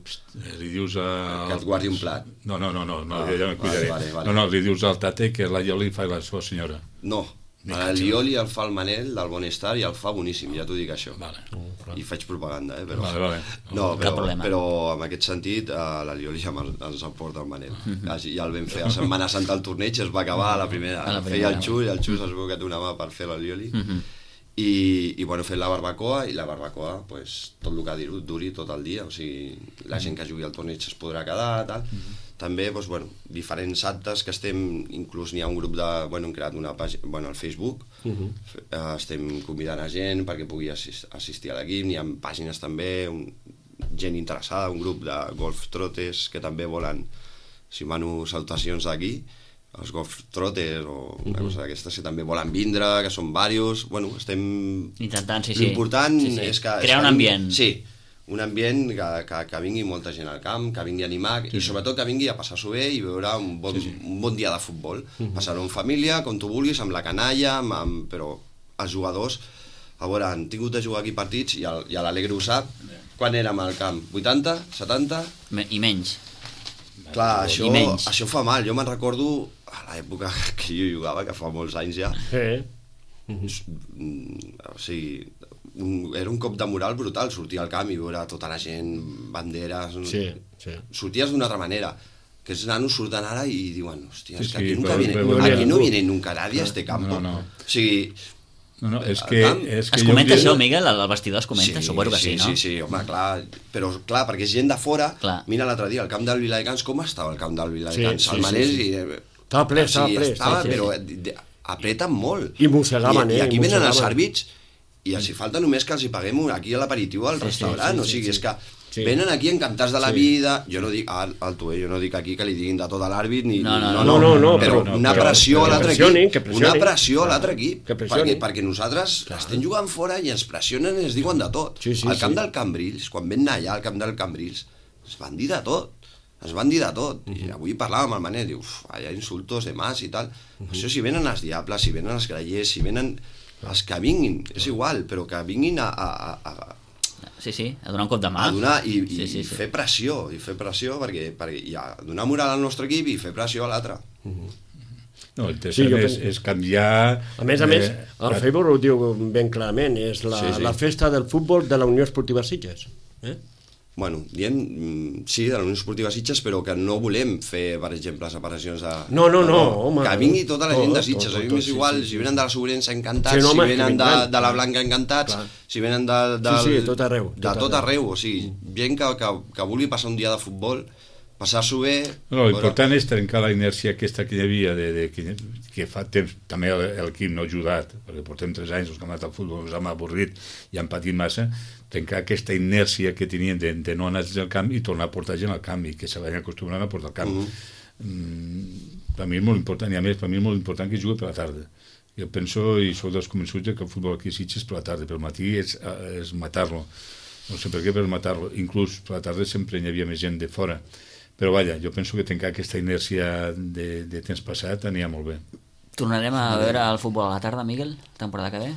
Li dius a... Que et guardi un plat. No, no, no, no, no ah, ja me cuidaré. Vale, vale, vale. No, no, li dius al tate que la Ioli fa la seva senyora. No, el Ioli el fa el Manel del Bonestar i el fa boníssim, ja t'ho dic això. Vale. I faig propaganda, eh? Però... Vale, vale. No, però, però en aquest sentit uh, la Lioli ja ens aporta el Manel. Ja el vam fer a Setmana Santa al torneig, es va acabar a la primera. A la primera. Feia el Xus, el Xus es veu que té una mà per fer la Lioli. Uh -huh. I, i bueno, fent la barbacoa, i la barbacoa, pues, tot el que duri tot el dia, o sigui, la gent que jugui al torneig es podrà quedar, tal. Uh -huh. També, doncs, bueno, diferents actes que estem, inclús n'hi ha un grup de, bueno, hem creat una pàgina, bueno, al Facebook, uh -huh. estem convidant a gent perquè pugui assist, assistir a l'equip, n'hi ha pàgines també, un, gent interessada, un grup de golf trotes que també volen, si mano salutacions d'aquí, els golf trotes o una uh -huh. cosa d'aquestes que també volen vindre, que són diversos, bueno, estem... Intentant, sí, sí. L'important sí, sí. és que... Crear un ambient. Sí, un ambient que, que, que vingui molta gent al camp, que vingui a animar, sí, i sobretot que vingui a passar-s'ho bé i veure un bon, sí, sí. un bon dia de futbol. Uh -huh. Passar-ho en família, com tu vulguis, amb la canalla, amb, amb, però els jugadors, a veure, han tingut de jugar aquí partits, i l'Alegre ho sap, quan érem al camp? vuitanta? setanta? I menys. Clar, això, això fa mal. Jo me'n recordo a l'època que jo jugava, que fa molts anys ja. Sí. O sigui, un, era un cop de moral brutal, sortir al camp i veure tota la gent, banderes... Sí, sí. Sorties d'una altra manera. Que els nanos surten ara i diuen, hòstia, Sí, és que sí, aquí, nunca però- viene, però- aquí no però- viene nunca nadie a este campo. No, no. O sigui, No, no, és El que... camp- És que Es jo comenta un dia- això, Miguel? Al vestidor es comenta? Suposo que sí, no? Sí, sí, home, clar, però clar, perquè és gent de fora, Clar. mira l'altre dia, el camp del Viladecans, com estava el camp del Viladecans? Sí, sí, el Manés sí, sí. i... eh, Estava ple, o sigui, estava ple, estava, sí, sí, però de- de- apreten molt. I mossegaven, I, eh, I aquí i venen els mossegaven. àrbits i els hi falta només que els hi paguem un- aquí a l'aperitiu al Sí, sí, restaurant, sí, o sí, sigui, sí. és que Sí. venen aquí encantats de la Sí. vida, jo no dic, al, alto, eh, jo no dic aquí que li diguin de tot a l'àrbit, ni, No, no, ni- no, no, no, però però- una però- pressió a que l'altre pressionin, equip, que pressionin. una pressió a l'altre Clar, equip, que perquè, pressionin. perquè nosaltres estem jugant fora i ens pressionen i ens diuen de tot. Sí, sí, al camp sí. del Cambrils, quan vam anar allà al camp del Cambrils, ens van dir de tot, ens van dir de tot. I avui parlàvem amb el Manel, diu, uf, hi ha insultos de mas i tal. Això si venen els diables, si venen els grallers, si venen els que vinguin, és igual, però que vinguin a, a, a, a Sí, sí, a donar un cop de mà. a donar i, i, sí, sí, i sí. fer pressió, i fer pressió perquè, perquè i a donar moral al nostre equip i fer pressió a l'altre. No, el Sí, tercer jo és, penso- és canviar... A més a més, eh, el Facebook ho diu ben clarament, és la, Sí, sí. la festa del futbol de la Unió Esportiva Sitges. Eh? Bueno, diem, mm, sí, de la Unió Esportiva Sitges, però que no volem fer, per exemple, separacions de... No, no, no, home. Que vingui tota la gent de Tot, Sitges, tot, a mi tot, m'és sí, igual, sí, sí. si venen de la Sobrença encantats, Sí, no, si home, que venen de, vindran. de la Blanca encantats, Clar. si venen de, de, Sí, sí, tot arreu, de tot tot arreu. arreu, o sigui, gent que, que, que vulgui passar un dia de futbol, passar-s'ho bé... No, l'important és trencar la inèrcia aquesta que hi havia, de, de, que, que fa temps també l'equip no ha ajudat, perquè portem tres anys, els que hem anat al futbol ens hem avorrit i han patit massa, trencar aquesta inèrcia que tenien de, de no anar al camp i tornar a portar gent al camp i que se vagin acostumant a portar al camp. Mm. Mm, per mi és molt important, i a més per mi és molt important que jugui per la tarda. Jo penso i soc dels convençuts que el futbol aquí a Sitges per la tarda, per matí és, és matar-lo. No sé per què, però matar-lo. Inclús per la tarda sempre hi havia més gent de fora. Però vaja, jo penso que trencar aquesta inèrcia de, de temps passat anirà molt bé. Tornarem a veure el futbol a la tarda, Miguel, temporada que ve?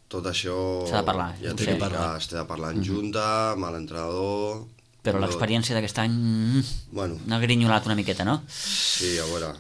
Tot això... S'ha de parlar, Ja ho t'he sé. dit que s'ha de parlar en junta, amb l'entrenador... Però l'experiència d'aquest any mm, Bueno, n'ha grinyolat una miqueta, no? sí, a veure,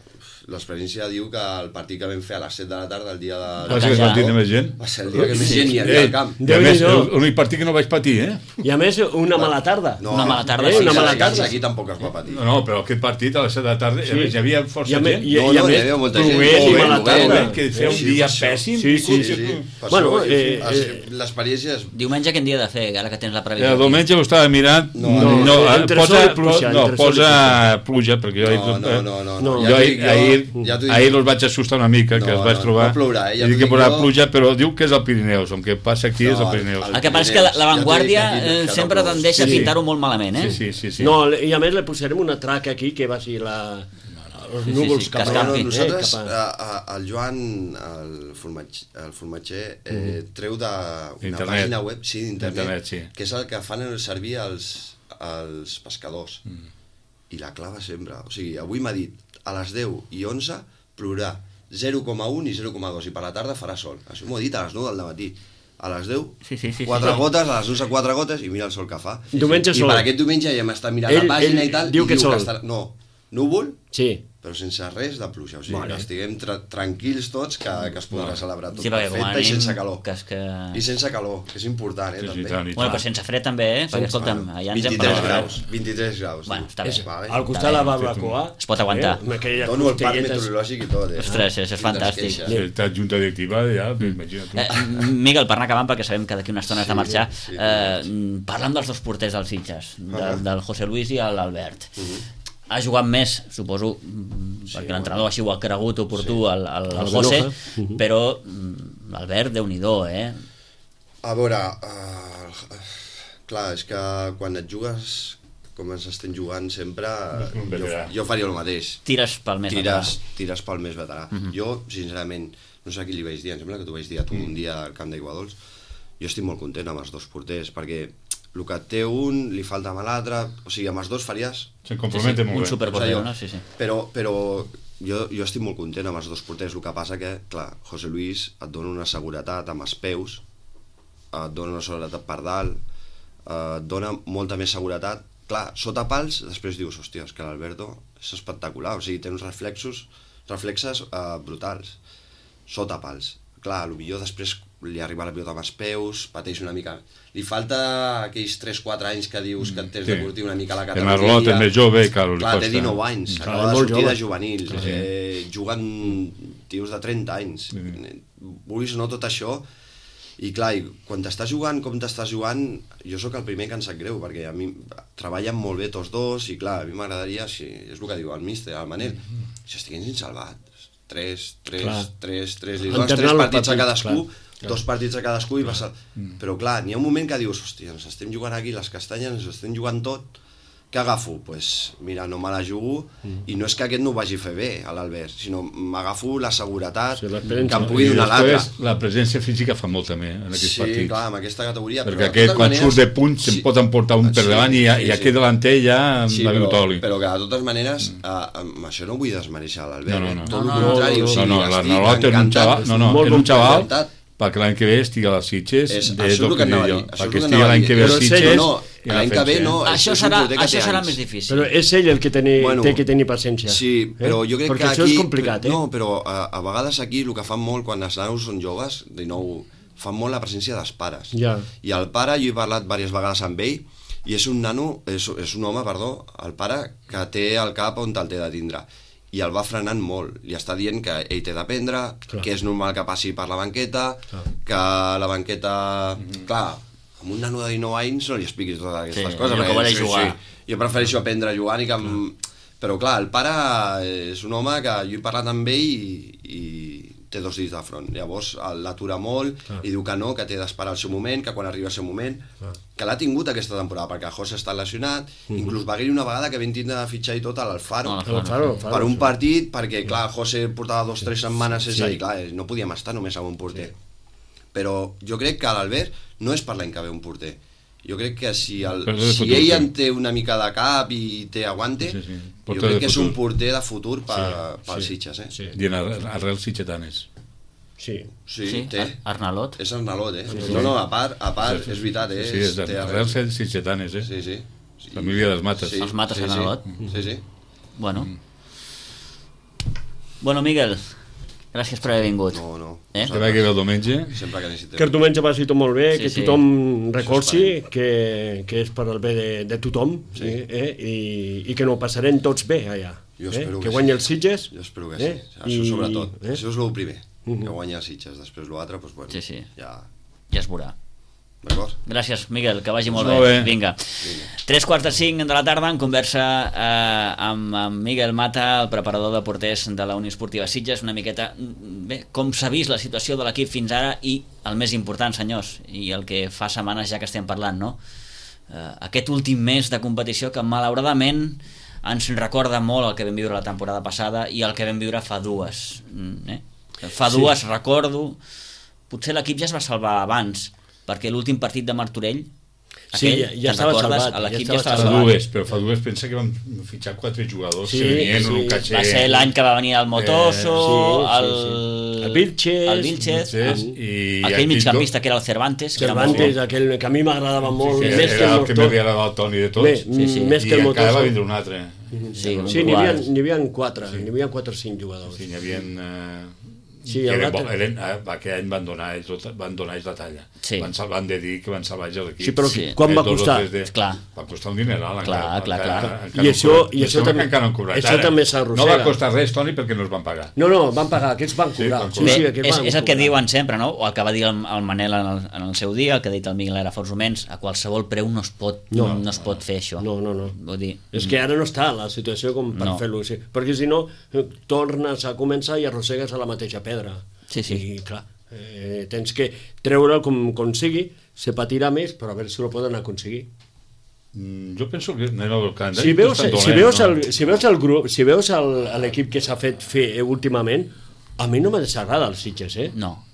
l'experiència diu que el partit que vam fer a les set de la tarda, el dia de... Va ser el partit de més gent? Va ser el dia que més gent hi havia Ei, al camp. i a més, Déu-n'hi-do. l'únic partit que no vaig patir, eh? I a més, una mala tarda. Una mala tarda, Eh, sí, una sí, mala sí, tarda. Aquí tampoc es va patir. No, no, però aquest partit a les set de la tarda, Sí. a més, hi havia I força a més, gent. i, No, i a no, hi més, havia molta gent. plogués i Molt bé, mala molt bé, tarda. molt bé. que feia un Sí, dia per això. pèssim. Sí, sí, Sí, sí. sí. Per Bueno, això, eh, es- eh, l'experiència és... Diumenge quin dia he de fer, ara que tens la previsió? El diumenge ho estava mirant, no, No, no, no, eh, entre posa, sol i pluja, no, entre sol i posa pluja, perquè jo No, no, no, no, No. ja jo t'ho ahir, dic jo, ahir, ja t'ho dic ahir jo. els vaig assustar una mica, que No, els vaig no, trobar, no plourà, eh, ja i dic t'ho que dic posarà jo. pluja, però diu que és el Pirineus, el que passa aquí No, és el el- Pirineus. el- El que passa és que la- Ja l'avantguàrdia t'ho dic aquí, eh, que no sempre plou. tendeix a Sí, sí. pintar-ho molt malament, eh? Sí, sí, sí, sí. No, i a més le posarem una traca aquí que va ser la... els Sí, sí, núvols sí, cap que a... No, no, escampi. nosaltres, cap a- a, a, el Joan, el, formatge, el formatger, eh, treu d'una Internet. pàgina web, sí, d'internet, Internet, sí. que és el que fan servir els, els pescadors. Mm. I la clava sempre. O sigui, avui m'ha dit, a les deu i onze plourà zero coma un i zero coma dos, i per la tarda farà sol. Això m'ho ha dit a les nou del matí. A les deu, Sí, sí, sí, quatre sí. gotes, a les onze, quatre gotes, i mira el sol que fa. Diumenge I sol. per aquest diumenge ja m'està mirant Ell- la pàgina ell i tal, diu i que diu sol. que estarà... No, núvol, Sí. però sense res de pluja, o sigui, Vale. que estiguem tra tranquils tots, que, que es podrà celebrar tot Sí, perquè com a perfecte i mínim sense calor. que és que- I sense calor, que és important, eh, Sí, sí, també. tant, i Bueno, tant. però sense fred també, eh? Perquè, escolta'm, allà ens hem vint-i-tres parlat. graus, vint-i-tres graus. Bueno, diu. està bé. Vale. Al costat de la barbacoa... Es pot aguantar. Eh, amb aquelles Dono el parc costelletes. meteorològic i tot, eh? Ostres, és- és Quines fantàstic. queixes. Sí, està junta directiva, ja, imagina't tu. Eh, Miguel, per anar acabant, perquè sabem que d'aquí una estona has de marxar, sí, eh, parlant dels dos porters dels Sitges, del, del José Luis i l'Albert. Ha jugat més, suposo, mm, perquè l'entrenador així ho ha cregut oportú al, al, al El José, Benoja. però mm, l'Albert, Déu-n'hi-do, eh? A veure, uh, clar, és que quan et jugues com ens estem jugant sempre, Un jo, veterà. jo faria el mateix. Tires pel més tires, veterà. tires pel més veterà. Mhm. Jo, sincerament, no sé a qui li vaig dir, em sembla que t'ho vaig dir a tu un dia al camp d'Aiguadols, jo estic molt content amb els dos porters, perquè el que té un li falta amb l'altre, o sigui, amb els dos faries... Se compromete Sí, sí, molt un bé. superporter, Doncs allò. no? Sí, sí. Però, però jo, jo estic molt content amb els dos porters, el que passa que, clar, José Luis et dona una seguretat amb els peus, et dona una seguretat per dalt, eh, et dona molta més seguretat. Clar, sota pals, després dius, hòstia, és que l'Alberto és espectacular, o sigui, té uns reflexos, reflexes eh, brutals. Sota pals. Clar, potser després li arriba la pilota amb els peus, pateix una mica. Li falta aquells tres quatre anys que dius que et tens de curtir una mica la categoria. El Marlot és més jove, que li Clar, costa. té dinou anys, Clar, acaba de molt sortir jove. de juvenil, eh, juguen tios de trenta anys. Vulguis o no tot això, i clar, i quan t'estàs jugant com t'estàs jugant, jo sóc el primer que em sap greu, perquè a mi treballen molt bé tots dos, i clar, a mi m'agradaria, si, és el que diu el míster, el Manel, si estiguessin salvats, tres, tres, Clar. tres, tres, li dones Alternar tres els partits a partits, cadascú, clar. dos partits a cadascú i vas a... Però clar, n'hi ha un moment que dius, hòstia, ens estem jugant aquí les castanyes, ens estem jugant tot, què agafo? Doncs pues, mira, no me la jugo, mm. i no és que aquest no ho vagi a fer bé, a l'Albert, sinó m'agafo la seguretat Sí, que em pugui donar l'altre. La presència física fa molt també en aquests Sí, partits. clar, amb aquesta categoria. Perquè aquest, quan maneres, surt de punt, se'n pot emportar un per davant i, i aquest delanter ja sí, va però, toli. però que de totes maneres, mm. uh, amb això no vull desmereixer l'Albert. No, no, no. Tot No, el no, contrari, no, o No, sigui, no, estic l'Arnalot és un encantat. xaval, no, no, Molt és un xaval encantat. perquè l'any que ve estigui a les Sitges, És, és, això és el que anava a dir. perquè estigui l'any que ve a les Sitges, no, l'any que ve no, Això és un serà, porter que això té serà anys. més difícil. Però és ell el que teni, Bueno, té que tenir paciència. Sí, però jo crec Perquè que això aquí... és complicat, eh? No, però a, a vegades aquí el que fan molt quan els nanos són joves, de nou, fan molt la presència dels pares. Ja. I el pare, jo he parlat diverses vegades amb ell, i és un nano, és, és un home, perdó, el pare que té el cap on te'l té de tindre. I el va frenant molt, li està dient que ell té d'aprendre, que és normal que passi per la banqueta, clar. que la banqueta... Mm-hmm. Clar, amb un nano de dinou anys no li expliquis totes aquestes Sí, coses. allò que perquè, vol jugar. Jo prefereixo aprendre jugant i que... Em... Però clar, el pare és un home que jo he parlat amb ell i, i té dos dits de front. Llavors l'atura molt clar. I diu que no, que té d'esperar el seu moment, que quan arriba el seu moment, clar. Que l'ha tingut aquesta temporada, perquè José està lesionat, mm-hmm. inclús va haver-hi una vegada que vam tindre de fitxar i tot a l'Alfaro, No, Alfaro, Alfaro, per un sí. partit, perquè clar, José portava dos o tres setmanes sense Sí. i clar, no podíem estar només amb un porter. Sí. Però jo crec que l'Albert no és per l'any que ve un porter. Jo crec que si, el, si futur, ell sí. en té una mica de cap i té aguante, Sí, sí. jo Porter crec de que és futur. un porter de futur per, Sí, pels sí, Sitges, eh? sí. I en arrel, arrel sitgetanes. Sí. Sí, Sí, té. Ar- Arnalot. És Arnalot, eh? No, no, a part, a part, és veritat, eh? Sí, és té arrel sitgetanes, eh? Sí, sí. sí. Família dels Mates. Els Mates sí, Arnalot. Sí, sí. sí. Bueno. Bueno, Miguel, gràcies per haver vingut. No, no. Eh? Que vagi bé el diumenge. Sempre que necessitem. Que el diumenge vagi tot molt bé, Sí, que sí. tothom recolzi, que, que és per al bé de, de tothom, sí. eh? I, i que no ho passarem tots bé allà. Jo eh? espero Que que guanyi sí. els Sitges. Jo espero que eh? sí. Això I- sobretot. eh? Això és el primer. Mhm. Que guanya els Sitges. Després l'altre, doncs bueno. Sí, sí. Ja... Ja es veurà. D'acord? Gràcies, Miguel, que vagi molt, Molt bé. bé. Vinga. Tres quarts de cinc de la tarda en conversa eh, amb, amb Miguel Mata, el preparador de porters de la Unió Esportiva Sitges, una miqueta, bé, com s'ha vist la situació de l'equip fins ara i el més important, senyors, i el que fa setmanes ja que estem parlant, no? Eh, aquest últim mes de competició que malauradament ens recorda molt el que vam viure la temporada passada i el que vam viure fa dues. Mm, eh? Fa dues, sí. Recordo, potser l'equip ja es va salvar abans, perquè l'últim partit de Martorell, Sí, aquell, ja- ja te'n estava recordes? salvat, L'equip ja ja estava estava Fa salvat. dues, però fa dues pensa que vam fitxar quatre jugadors Sí, que venien sí. un caché... Va ser l'any que va venir el Motoso, Eh, sí, el... sí, sí. El Vilches, el Vilches, Vilches, el- i aquell aquell migcampista que era el Cervantes, que era molt Cervantes, bo. aquell que a mi m'agradava molt, que més que era el el que motor. m'havia agradat el Toni de tots. Bé, Sí, sí. més I que el encara va motor. vindre un altre. Sí, un Sí, n'hi havia, quart. n'hi havia quatre, n'hi havia quatre o cinc jugadors. Sí, n'hi havia... Eh, Sí, que el eren, l'altre- bo- eren, eh, aquell any van donar ells, tot- van donar ells la talla. Sí. Van, sal- van de dir que van salvar ells l'equip. Sí, però Sí. quan va Eh, dos o costar? tres de- Clar. Va costar un dineral. Clar, encara, clar, encara, clar. encara I no això- cobrat. i Em això sembla també- que encara no han cobrat. això Ara, també s'arrossega. No va costar res, Toni, perquè no es van pagar. No, no, van pagar, aquests van Sí, cobrar. van Sí, cobrar. sí, Bé, aquests és, van és el que cobrar. diuen sempre, no? O el que va dir el, el Manel en el, en el seu dia, el que ha dit el Miguel ara fa uns moments, a qualsevol preu no es pot, no, No. no es pot fer això. No, no, no. Vull dir, És que ara no està la situació com per No. fer-lo així. Perquè si no, eh, tornes a començar i arrossegues a la mateixa pedra. Sí, sí. I clar, eh, tens que treure'l com, com sigui, se patirà més, però a veure si ho poden aconseguir. Mm, Jo penso que anem al calendari. Si veus, tot està si dolent, veus, no? el, si veus el grup, si veus el- l'equip que s'ha fet fer últimament, a mi no me desagrada els Sitges, eh? no.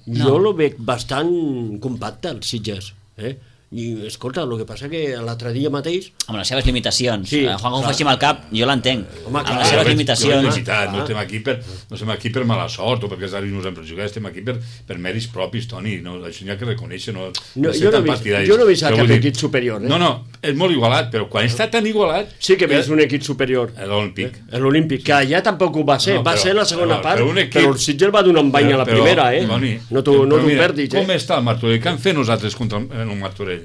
Jo No. lo veig bastant compacte, els Sitges. Eh? I, escolta, el que passa que l'altre dia mateix... Amb les seves limitacions. Sí, Sí, Juan, com ho clar. faci amb el cap, jo l'entenc. Home, Amb clar, les jo seves veig- limitacions. Jo felicitat, no estem aquí per, no estem aquí per mala sort o perquè els àrbitres no ens han per jugar, estem aquí per, per mèrits propis, Toni, no, això n'hi ha que reconèixer, no, No, ser jo, no tan he vist, partidaris. jo no he vist Però cap vull dir- equip superior. Eh? No, no, és molt igualat, però quan està tan igualat... Sí que he vist un equip superior. L'Olímpic. L'Olímpic, que allà tampoc ho va ser, No, va però- ser la segona però- part, però però, un equip- el Sitges va donar un bany a la Però- primera, eh? Toni, no t'ho no però t'ho mira, perdis, eh? Com està el Martorell? Què han fet nosaltres contra el, en el Martorell?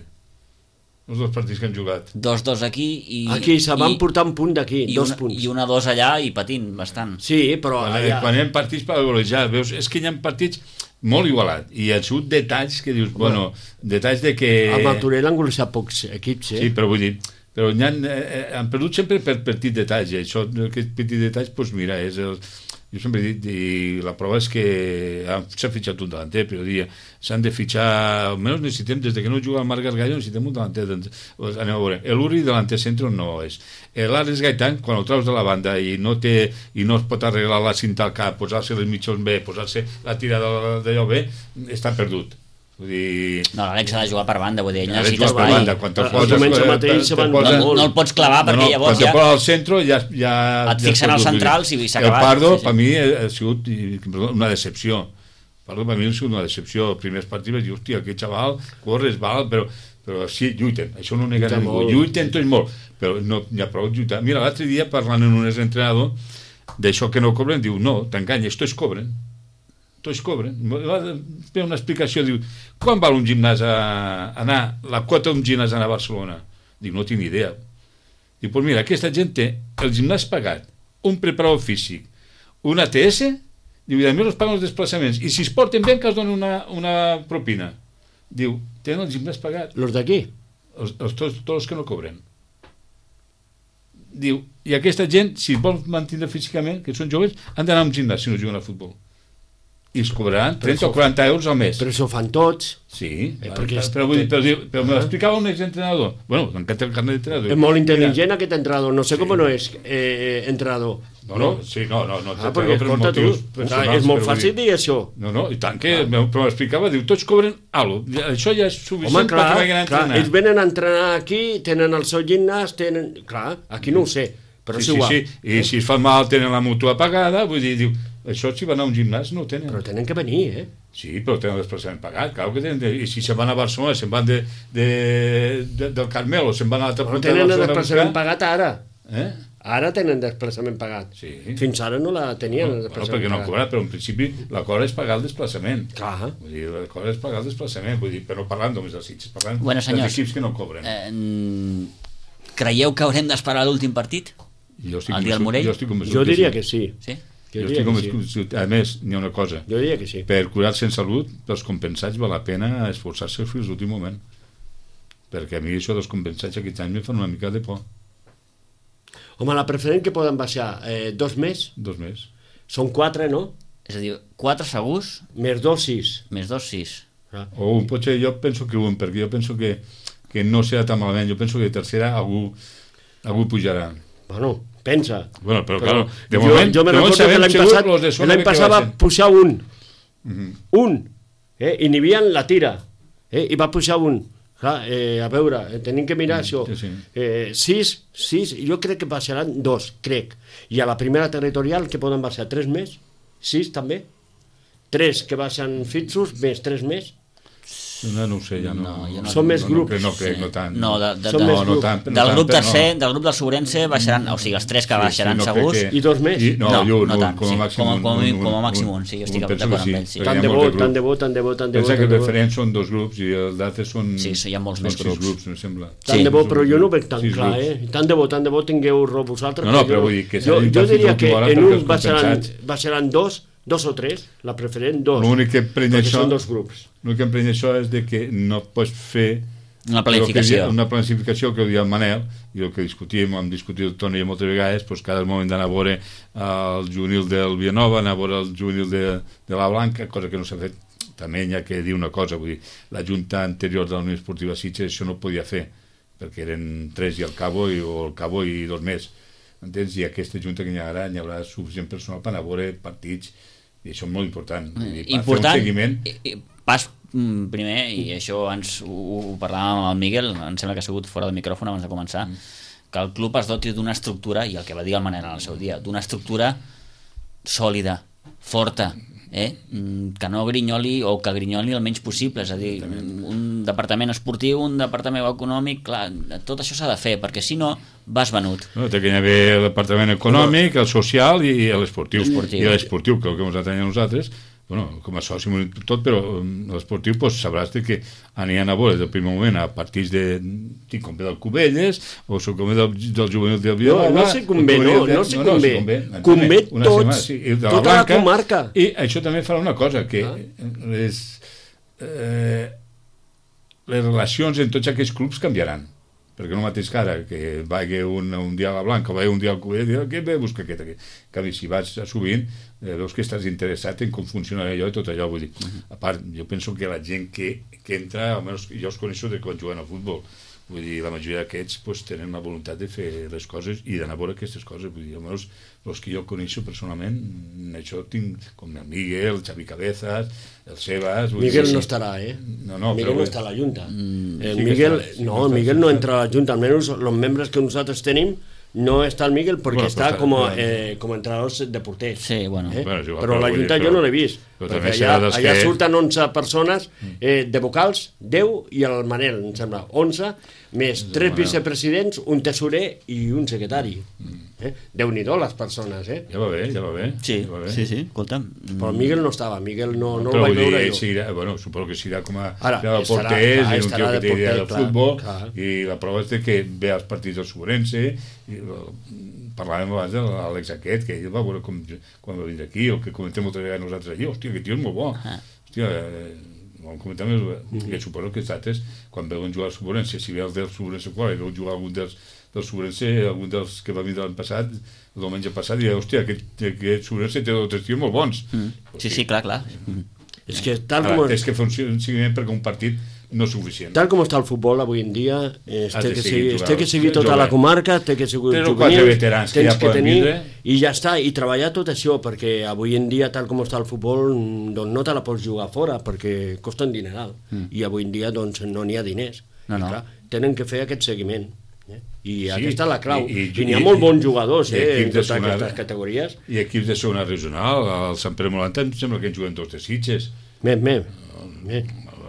Els dos partits que hem jugat. Dos, dos aquí i... Aquí se van i- portar un punt d'aquí, i dos una, punts. I una dos allà i patint bastant. Sí, però Quan, allà... quan hi ha partits per golejar, veus, és que hi ha partits molt igualat, i han sigut detalls que dius, bueno, detalls de que... Al Martorell han golejat pocs equips, eh? Sí, però vull dir, però hi han, eh, han perdut sempre per petits detalls, i això, aquests petits detalls, doncs mira, és el... Jo sempre he dit, i la prova és que s'ha fitxat un delanter, però dia s'han de fitxar, almenys necessitem, des de que no juga el Marc Gargallo, necessitem un delanter. Doncs, anem a veure, l'Uri delanter centre no és. L'Àlex Gaitán, quan el traus de la banda i no té i no es pot arreglar la cinta al cap, posar-se les mitjons bé, posar-se la tirada d'allò bé, està perdut. Vull dir... No, l'Àlex ha de jugar per banda, vull dir, ell Ha de necessita jugar per espai. banda, quan te'l El poses... diumenge eh, mateix te- se te van posa- No, no el pots clavar perquè no, no, llavors quan ja... te posa al centre ja... ja Et ja fixen has als perdut, centrals vull dir. i s'ha acabat. El Pardo, Sí, sí. per mi, ha sigut i- perdó, una decepció. Pardo, per mi, ha sigut una decepció. Els primers partits vaig dir, hòstia, aquest xaval, corres, val, però, però sí, lluiten. Això no ho nega Lluita ningú. molt. Lluiten tots molt, però no hi ha prou lluitar. Mira, l'altre dia, parlant amb un entrenador d'això que no cobren, diu, no, t'enganyes, tots cobren. Tots cobren. Va fer una explicació, diu, quan val un gimnàs a anar, la quota d'un gimnàs a anar a Barcelona? Diu, no tinc ni idea. Diu, pues mira, aquesta gent té el gimnàs pagat, un preparador físic, un A T S, diu, i a més els paguen els desplaçaments, i si es porten bé que els donen una, una propina. Diu, tenen el gimnàs pagat, Los d'aquí? els, els, tots, tots els que no cobren. Diu, i aquesta gent, si vol mantenir físicament, que són joves, han d'anar a un gimnàs si no juguen a futbol. I es cobraran trenta o quaranta euros al mes. Però això ho fan tots. Sí, Eh, eh, perquè però, és- però, vull dir, però, diu- però me l'explicava un exentrenador. Bueno, m'encanta el carnet d'entrenador. És molt intel·ligent aquest entrenador. No sé com no és eh, entrenador. No, no, sí, no, no, no, Ah, perquè per escolta tu, motius clar, personals, és molt però vull fàcil dir- dir això. No, no, i tant que, però m'explicava, diu, tots cobren alguna cosa. Això ja és suficient Home, clar, perquè vagin a clar, entrenar. ells venen a entrenar aquí, tenen el seu gimnàs, tenen... Clar, aquí no ho sé, però sí, és igual. Sí, sí, i si es fa mal tenen la mútua pagada, vull dir, diu, això si van a un gimnàs no ho tenen. Però tenen que venir, eh? Sí, però tenen el desplaçament pagat, clar que tenen, de, i si se'n van a Barcelona, se'n van de, de, de, del Carmel o se'n van a l'altra Però punta de tenen el Barcelona a desplaçament buscar. pagat ara. Eh? Ara tenen desplaçament pagat. Sí. Fins ara no la tenien, el Bueno, desplaçament perquè no ha pagat. cobrat, però en principi la cosa és pagar el desplaçament. Clar. Vull dir, la cosa és pagar el desplaçament, vull dir, però no parlant només dels Sitges, parlant Bueno, senyors, dels equips que no cobren. Eh, creieu que haurem d'esperar l'últim partit? Jo estic el dia del convençut- Morell? Jo, estic convençut Jo diria sí. que sí. Sí? Jo Jo diria estic que sí. convençut. A més, n'hi ha una cosa. Jo diria que sí. Per curar-se en salut, pels compensats val la pena esforçar-se fins l'últim moment. Perquè a mi això dels compensats aquests anys em fan una mica de por. Home, la preferent que poden baixar eh, dos més, Dos més. són quatre, no? És a dir, quatre segurs, Més dos, sis. més dos, sis. Ah. O un, potser jo penso que un, perquè jo penso que, que no serà tan malament. Jo penso que de tercera algú, algú pujarà. Bueno, pensa. Bueno, però, claro, de jo, moment, jo me de moment recordo que sabem l'any segur passat, los de segona l'any que passat va baixen. pujar un. Mhm. Un. Eh? I n'hi havia la tira. Eh? I va pujar un. Clar, eh, a veure, eh, tenim que mirar això. sí, sí. Eh, sis, sis, jo crec que baixaran dos, crec. I a la primera territorial que poden baixar tres més, sis també. Tres que baixen fixos, més tres més. No, no ho sé, ja no. No, jo no- Són més no, grups. No, crec, no crec, no tant. No, de, de, Són de, més no, no grups. tant, no del tant, grup però tercer, no. del grup del Sobrense baixaran, o sigui, els tres que baixaran no crec segurs. que- I dos més? I, no, No, i un, no un, tant, com a sí, màxim com a- un, com a- un, com a un, màxim un, un, sí, jo estic un, penso d'acord que amb ell, sí. perquè Tant hi ha de molts bo, grups. tant de bo, tant de bo, tant de bo. Pensa que tant els de bo. referents són dos grups i els d'altres són... Sí, sí, hi ha molts són més sis grups. grups, em sembla. Tant Sí. de bo, però jo no ho veig tan Sis clar, grups. eh? Tant de bo, tant de bo tingueu raó vosaltres. No, no, jo però vull dir que jo, s'ha dit jo fins a diria que l'última hora en perquè un els baixaran, compensats- baixaran dos, dos o tres, la preferent dos. L'únic que emprenya perquè això, són dos grups. l'únic que emprenya això és de que no pots fer Una el que planificació. dia- una planificació que ho dia el Manel i el que discutíem, hem discutit el Toni moltes vegades, doncs cada moment d'anar a veure el juvenil del Villanova, anar a veure el juvenil de, de la Blanca, cosa que no s'ha fet. També hi ha que dir una cosa, vull dir, la junta anterior de la Unió Esportiva Sitges això no ho podia fer, perquè eren tres i el Cabo i, o el Cabo i dos més. Entens? I aquesta junta que hi ha ara hi haurà suficient personal per anar a veure partits, i això és molt important. Vull dir, per Important, fer un seguiment. i- i- pas mm, primer, i això ens ho, ho parlàvem amb el Miguel, em sembla que ha sigut fora del micròfon abans de començar, mm. que el club es doti d'una estructura, i el que va dir el Manel en el seu dia, d'una estructura sòlida, forta, eh? que no grinyoli o que grinyoli el menys possible, és a dir, un departament esportiu, un departament econòmic, clar, tot això s'ha de fer, perquè si no vas venut. No, té que haver el departament econòmic, el social i l'esportiu. I l'esportiu, que el que ens ha tenir nosaltres, bueno, com a soci tot, però l'esportiu pues, sabràs que anien a veure des del primer moment a partits de tinc com ve del Cubelles o soc com ve del, del juvenil del Vilanova. No, no sé com ve, no, no sé com ve. Com ve tots, tota la comarca. I això també farà una cosa, que les, eh, les relacions en tots aquests clubs canviaran. Perquè no mateix que ara, que vagi un, un dia a la Blanca o vagi un dia al Cubelles, i què ve busca aquest aquí? En canvi, si vas sovint, eh, veus que estàs interessat en com funciona allò i tot allò, vull dir. Uh-huh. A part, jo penso que la gent que, que entra, almenys jo els coneixo de quan juguen al futbol, vull dir, la majoria d'aquests pues, tenen la voluntat de fer les coses i d'anar a veure aquestes coses, vull dir, almenys els que jo coneixo personalment, això tinc com el Miguel, el Xavi Cabezas, el Sebas... Miguel dir, no estarà, eh? No, no, Miguel però, no està a la Junta. Mm, el sí Miguel, està, sí no, està, el Miguel sí no està. entra a la Junta, almenys els membres que nosaltres tenim no està el Miguel perquè bueno, està està, com a, clar. eh, com a entrenador de porters. Sí, bueno. Eh? Bueno, igual, però però la vull dir, Junta però- jo no l'he vist. però Perquè també allà, serà dels allà que- surten onze persones eh, de vocals, deu i el Manel, em sembla, onze, més tres vicepresidents, un tesorer i un secretari. Eh? Déu-n'hi-do les persones, eh? Ja va bé, ja va bé. Sí, ja va bé. sí, sí, escolta'm. Però el Miguel no estava, Miguel no, no el Però vaig vull dir, veure ell jo. seguirà, bueno, suposo que seguirà com a Ara, de estarà, porters clar, i un estarà tio que de té idea porter, del clar, futbol clar. i la prova és de que ve als partits del Sobrense i el, parlàvem abans de l'Àlex aquest, que ell va veure com, quan va vindre aquí, o que comentem moltes vegades nosaltres allí, hòstia, aquest tio és molt bo. Ah. Hòstia, eh, vam comentar més, mm. que suposo que nosaltres, quan veuen jugar al Sobrense, si ve el del Sobrense qual, i veuen jugar algun dels, del Sobrense, algun dels que va vindre l'any passat, el diumenge passat, i hòstia, aquest, aquest Sobrense té dos o tres tios molt bons. Mm. Sí, sí, clar, clar. Mm. És que tal Ara, com, és que funciona un seguiment perquè un partit no és suficient. tal com està el futbol avui en dia, eh, Has té, de que seguir seguir, jugant. té que seguir tota Jovent. la comarca, té que seguir Tres o quatre veterans que tens ja poden tenir, vindre. i ja està, i treballar tot això, perquè avui en dia, tal com està el futbol, doncs no te la pots jugar fora, perquè costa un dineral, mm. i avui en dia doncs, no n'hi ha diners. No, I, no. clar, tenen que fer aquest seguiment. Eh? I Sí, aquesta és la clau. i- I, i- n'hi ha i- molt bons jugadors i eh, en equips de totes segona- aquestes categories. I equips de segona regional, el Sant Pere Molanta, em sembla que en juguen dos de Sitges. Més, més. més.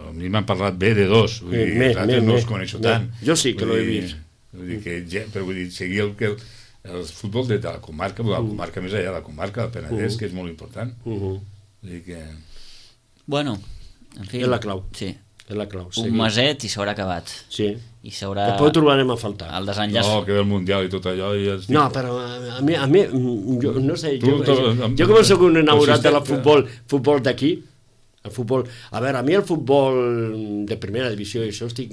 A mi m'han parlat bé de dos, vull dir, Més, els altres més, no més. els coneixo Més. tant. Jo sí que Vull l'he dir- vist. Vull dir que, ja- però vull dir, seguir el, que el, el futbol de, de la comarca, de la comarca més allà, la comarca del Penedès, que és molt important. Uh -huh. Vull dir que... Bueno, en fi. És la clau. Sí. És la clau. Un seguir. meset i s'haurà acabat. Sí. I s'haurà... Després ho trobarem a faltar. El desenllaç... No, que ve el Mundial i tot allò... I els... No, però a, a mi, a mi jo, no sé, Tu, jo, tu, jo, amb- jo com soc un enamorat consistent- de la futbol, futbol d'aquí, el futbol, a veure, a mi el futbol de primera divisió i això estic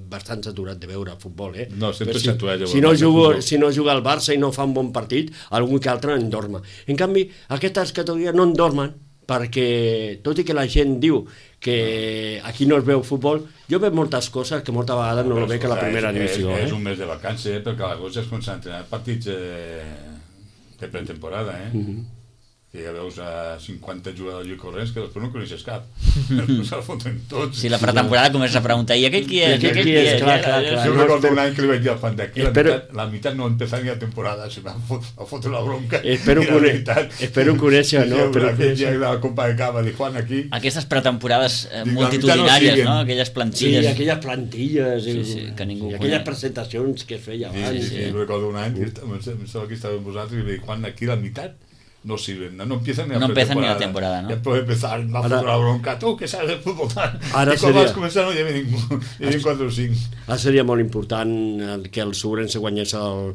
bastant saturat de veure el futbol, eh? No, sempre Però si, saturat de si, veure no el jugo, futbol. si no juga el Barça i no fa un bon partit, algun que altre en dorma. En canvi, aquestes categories no en dormen, perquè tot i que la gent diu que aquí no es veu futbol, jo veig moltes coses que moltes vegades no Però, lo veig a la escolta, primera és, divisió. És, és Eh? un mes de vacances, eh, perquè a l'agost es comencen a entrenar partits eh, de pretemporada, eh? Uh -huh. Que ja veus a cinquanta jugadors i corrents que després no coneixes cap. Després se'l foten tots. Si la pretemporada comença a preguntar i aquest qui és? I aquest I qui és? Clar, clar, clar. Jo no, recordo espero- un any que li vaig dir al fan d'aquí, la, Espero- mitad, la mitad no empezar ni la temporada, se me fot, a fotre la bronca. Espero I la conèixer- veritat- espero conèixer, no? Sí, Espero aquell conèixer. dia de la Copa de Cava, de Juan aquí, Aquestes pretemporades eh, Dic, la multitudinàries, veritat no no? siguen. Aquelles Sí, plantilles. aquelles plantilles Sí, i, sí, que ningú i aquelles coneix. presentacions que es feia sí, abans. sí, sí, recordo un any, que estava- em sembla que estava amb vosaltres, i li dic, Juan, aquí la mitad no sirven, no, no empiezan ni la No empiezan ni la pretemporada. temporada, ¿no? Ya puede empezar, la Ahora- foto la bronca, tú que sabes del fútbol. Ara I quan seria- vas començar no hi havia ningú, hi havia quatre o cinc. Ara seria molt important el, que el Sobrense guanyés el,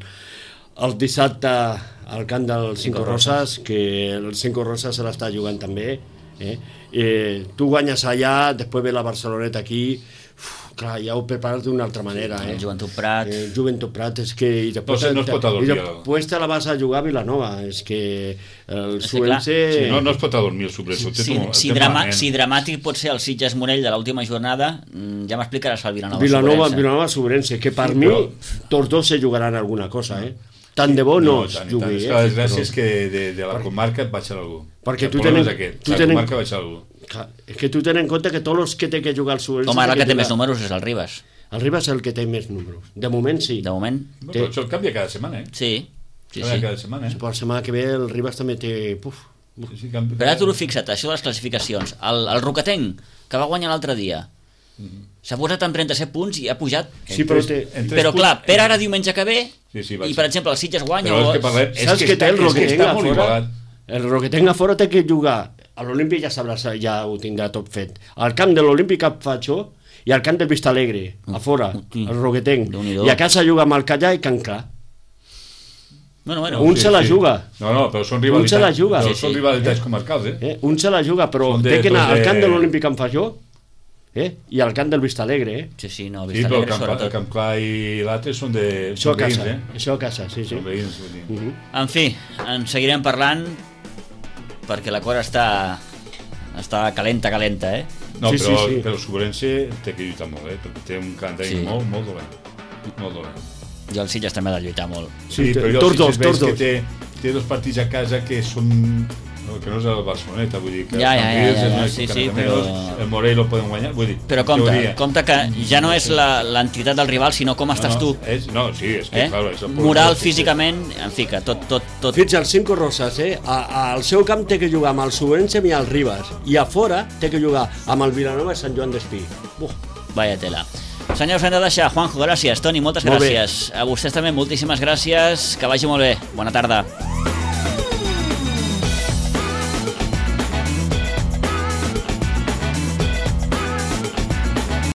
el dissabte al camp del Cinco Roses, que el Cinco Roses se l'està jugant també. Eh? Eh, tu guanyes allà, després ve la Barceloneta aquí, uf, clar, ja ho prepares d'una altra manera. Eh? El Joventut Prat. Eh, Joventut Prat, és que... I després, No sé, no es pot adormir, I després te la vas a jugar a Vilanova, és que el És que, clar, Sobrense... Sí, no, no es pot adormir el sobretot. Si, si, drama, si dramàtic pot ser el Sitges Morell de l'última jornada, mm, ja m'explicaràs el Vilanova. Vilanova, Sobrense. Vilanova Sobrense, que per Sí, mi però- tots dos se jugaran alguna cosa, eh? tant de bo no, no es tant, jugui. tant. És Eh? que la desgràcia Però- és que de, de la comarca et baixarà algú. Perquè el tu problema tenen- és aquest, tu la tenen- comarca baixarà algú. Clar, és que tu tens en compte que tots els que té que jugar al Sobrense... Home, ara el que té jugar- més números és el Ribas. El Ribas és el que té més números. De moment sí. De moment, No, però això canvia cada setmana, eh? sí. Sí, Canvia sí. cada setmana, eh? Per la setmana que ve el Ribas també té... Puf, Sí, sí, canvia. Però ara tu fixa't, això de les classificacions. El, el Roquetenc, que va guanyar l'altre dia, s'ha posat amb trenta-set punts i ha pujat. Sí, però tres- té- en tres Però punts- clar, per ara diumenge que ve, Sí, sí, i vaig. per exemple el Sitges guanya... Però o... és que parlem... És Saps que que està, té el és que Roquetenc està a molt fora? igualat. El Roquetenc a fora té que jugar. A l'Olímpic ja sabràs, ja ho tindrà tot fet. Al camp de l'Olímpic a Fatxó i al camp del Vistalegre, a fora, Hosti, el Roquetenc. Déu-n'hi-do. I a casa juga amb el Callà i Can Clar. Bueno, bueno, Un se la juga. No, no, però són Un rivalitats, se la juga. Però Sí, són sí. rivalitats comarcals, eh? Eh? Un se la juga, però Són de- té que anar doncs al camp de- de l'Olímpic en Fatxó eh? i al camp del Vistalegre. Eh? sí, sí, no, Sí, però el Vistalegre Camp, el sobretot. Camp Clar i l'altre són de Això són a veïns, casa, eh? això a casa, sí, sí. Són veïns, vull dir. Uh -huh. En fi, en seguirem parlant perquè la cosa està està calenta, calenta, eh? No, Sí, però, sí, sí. però el Sobrense té que lluitar molt, eh? Perquè té un calendari Sí. molt, molt dolent. Molt dolent. I el Sitges també ha de lluitar molt. Sí, però jo tots sí dos, que veig tots que dos. té, té dos partits a casa que són... No, que no és el Barceloneta, vull dir que Ja, el ja, Cambrils, ja, el ja, Mèxic, sí, el sí, Caramelos, però- el Morell lo poden guanyar, vull dir, Però compte, teoria. compte que ja no és la- l'entitat del rival, sinó com estàs no, tu. És, no, sí, és que, Eh? clar, és el Moral, sí, sí. físicament, en fi, que tot, tot, tot... Fins al Cinco Rosas, eh? A, al seu camp té que jugar amb el Sobrense i el Ribas. I a fora té que jugar amb el Vilanova i Sant Joan d'Espí. Buf. Vaya tela. Senyors, hem de deixar. Juanjo, gràcies. Toni, moltes Molt bé. gràcies. A vostès també, moltíssimes gràcies. Que vagi molt bé. Bona tarda.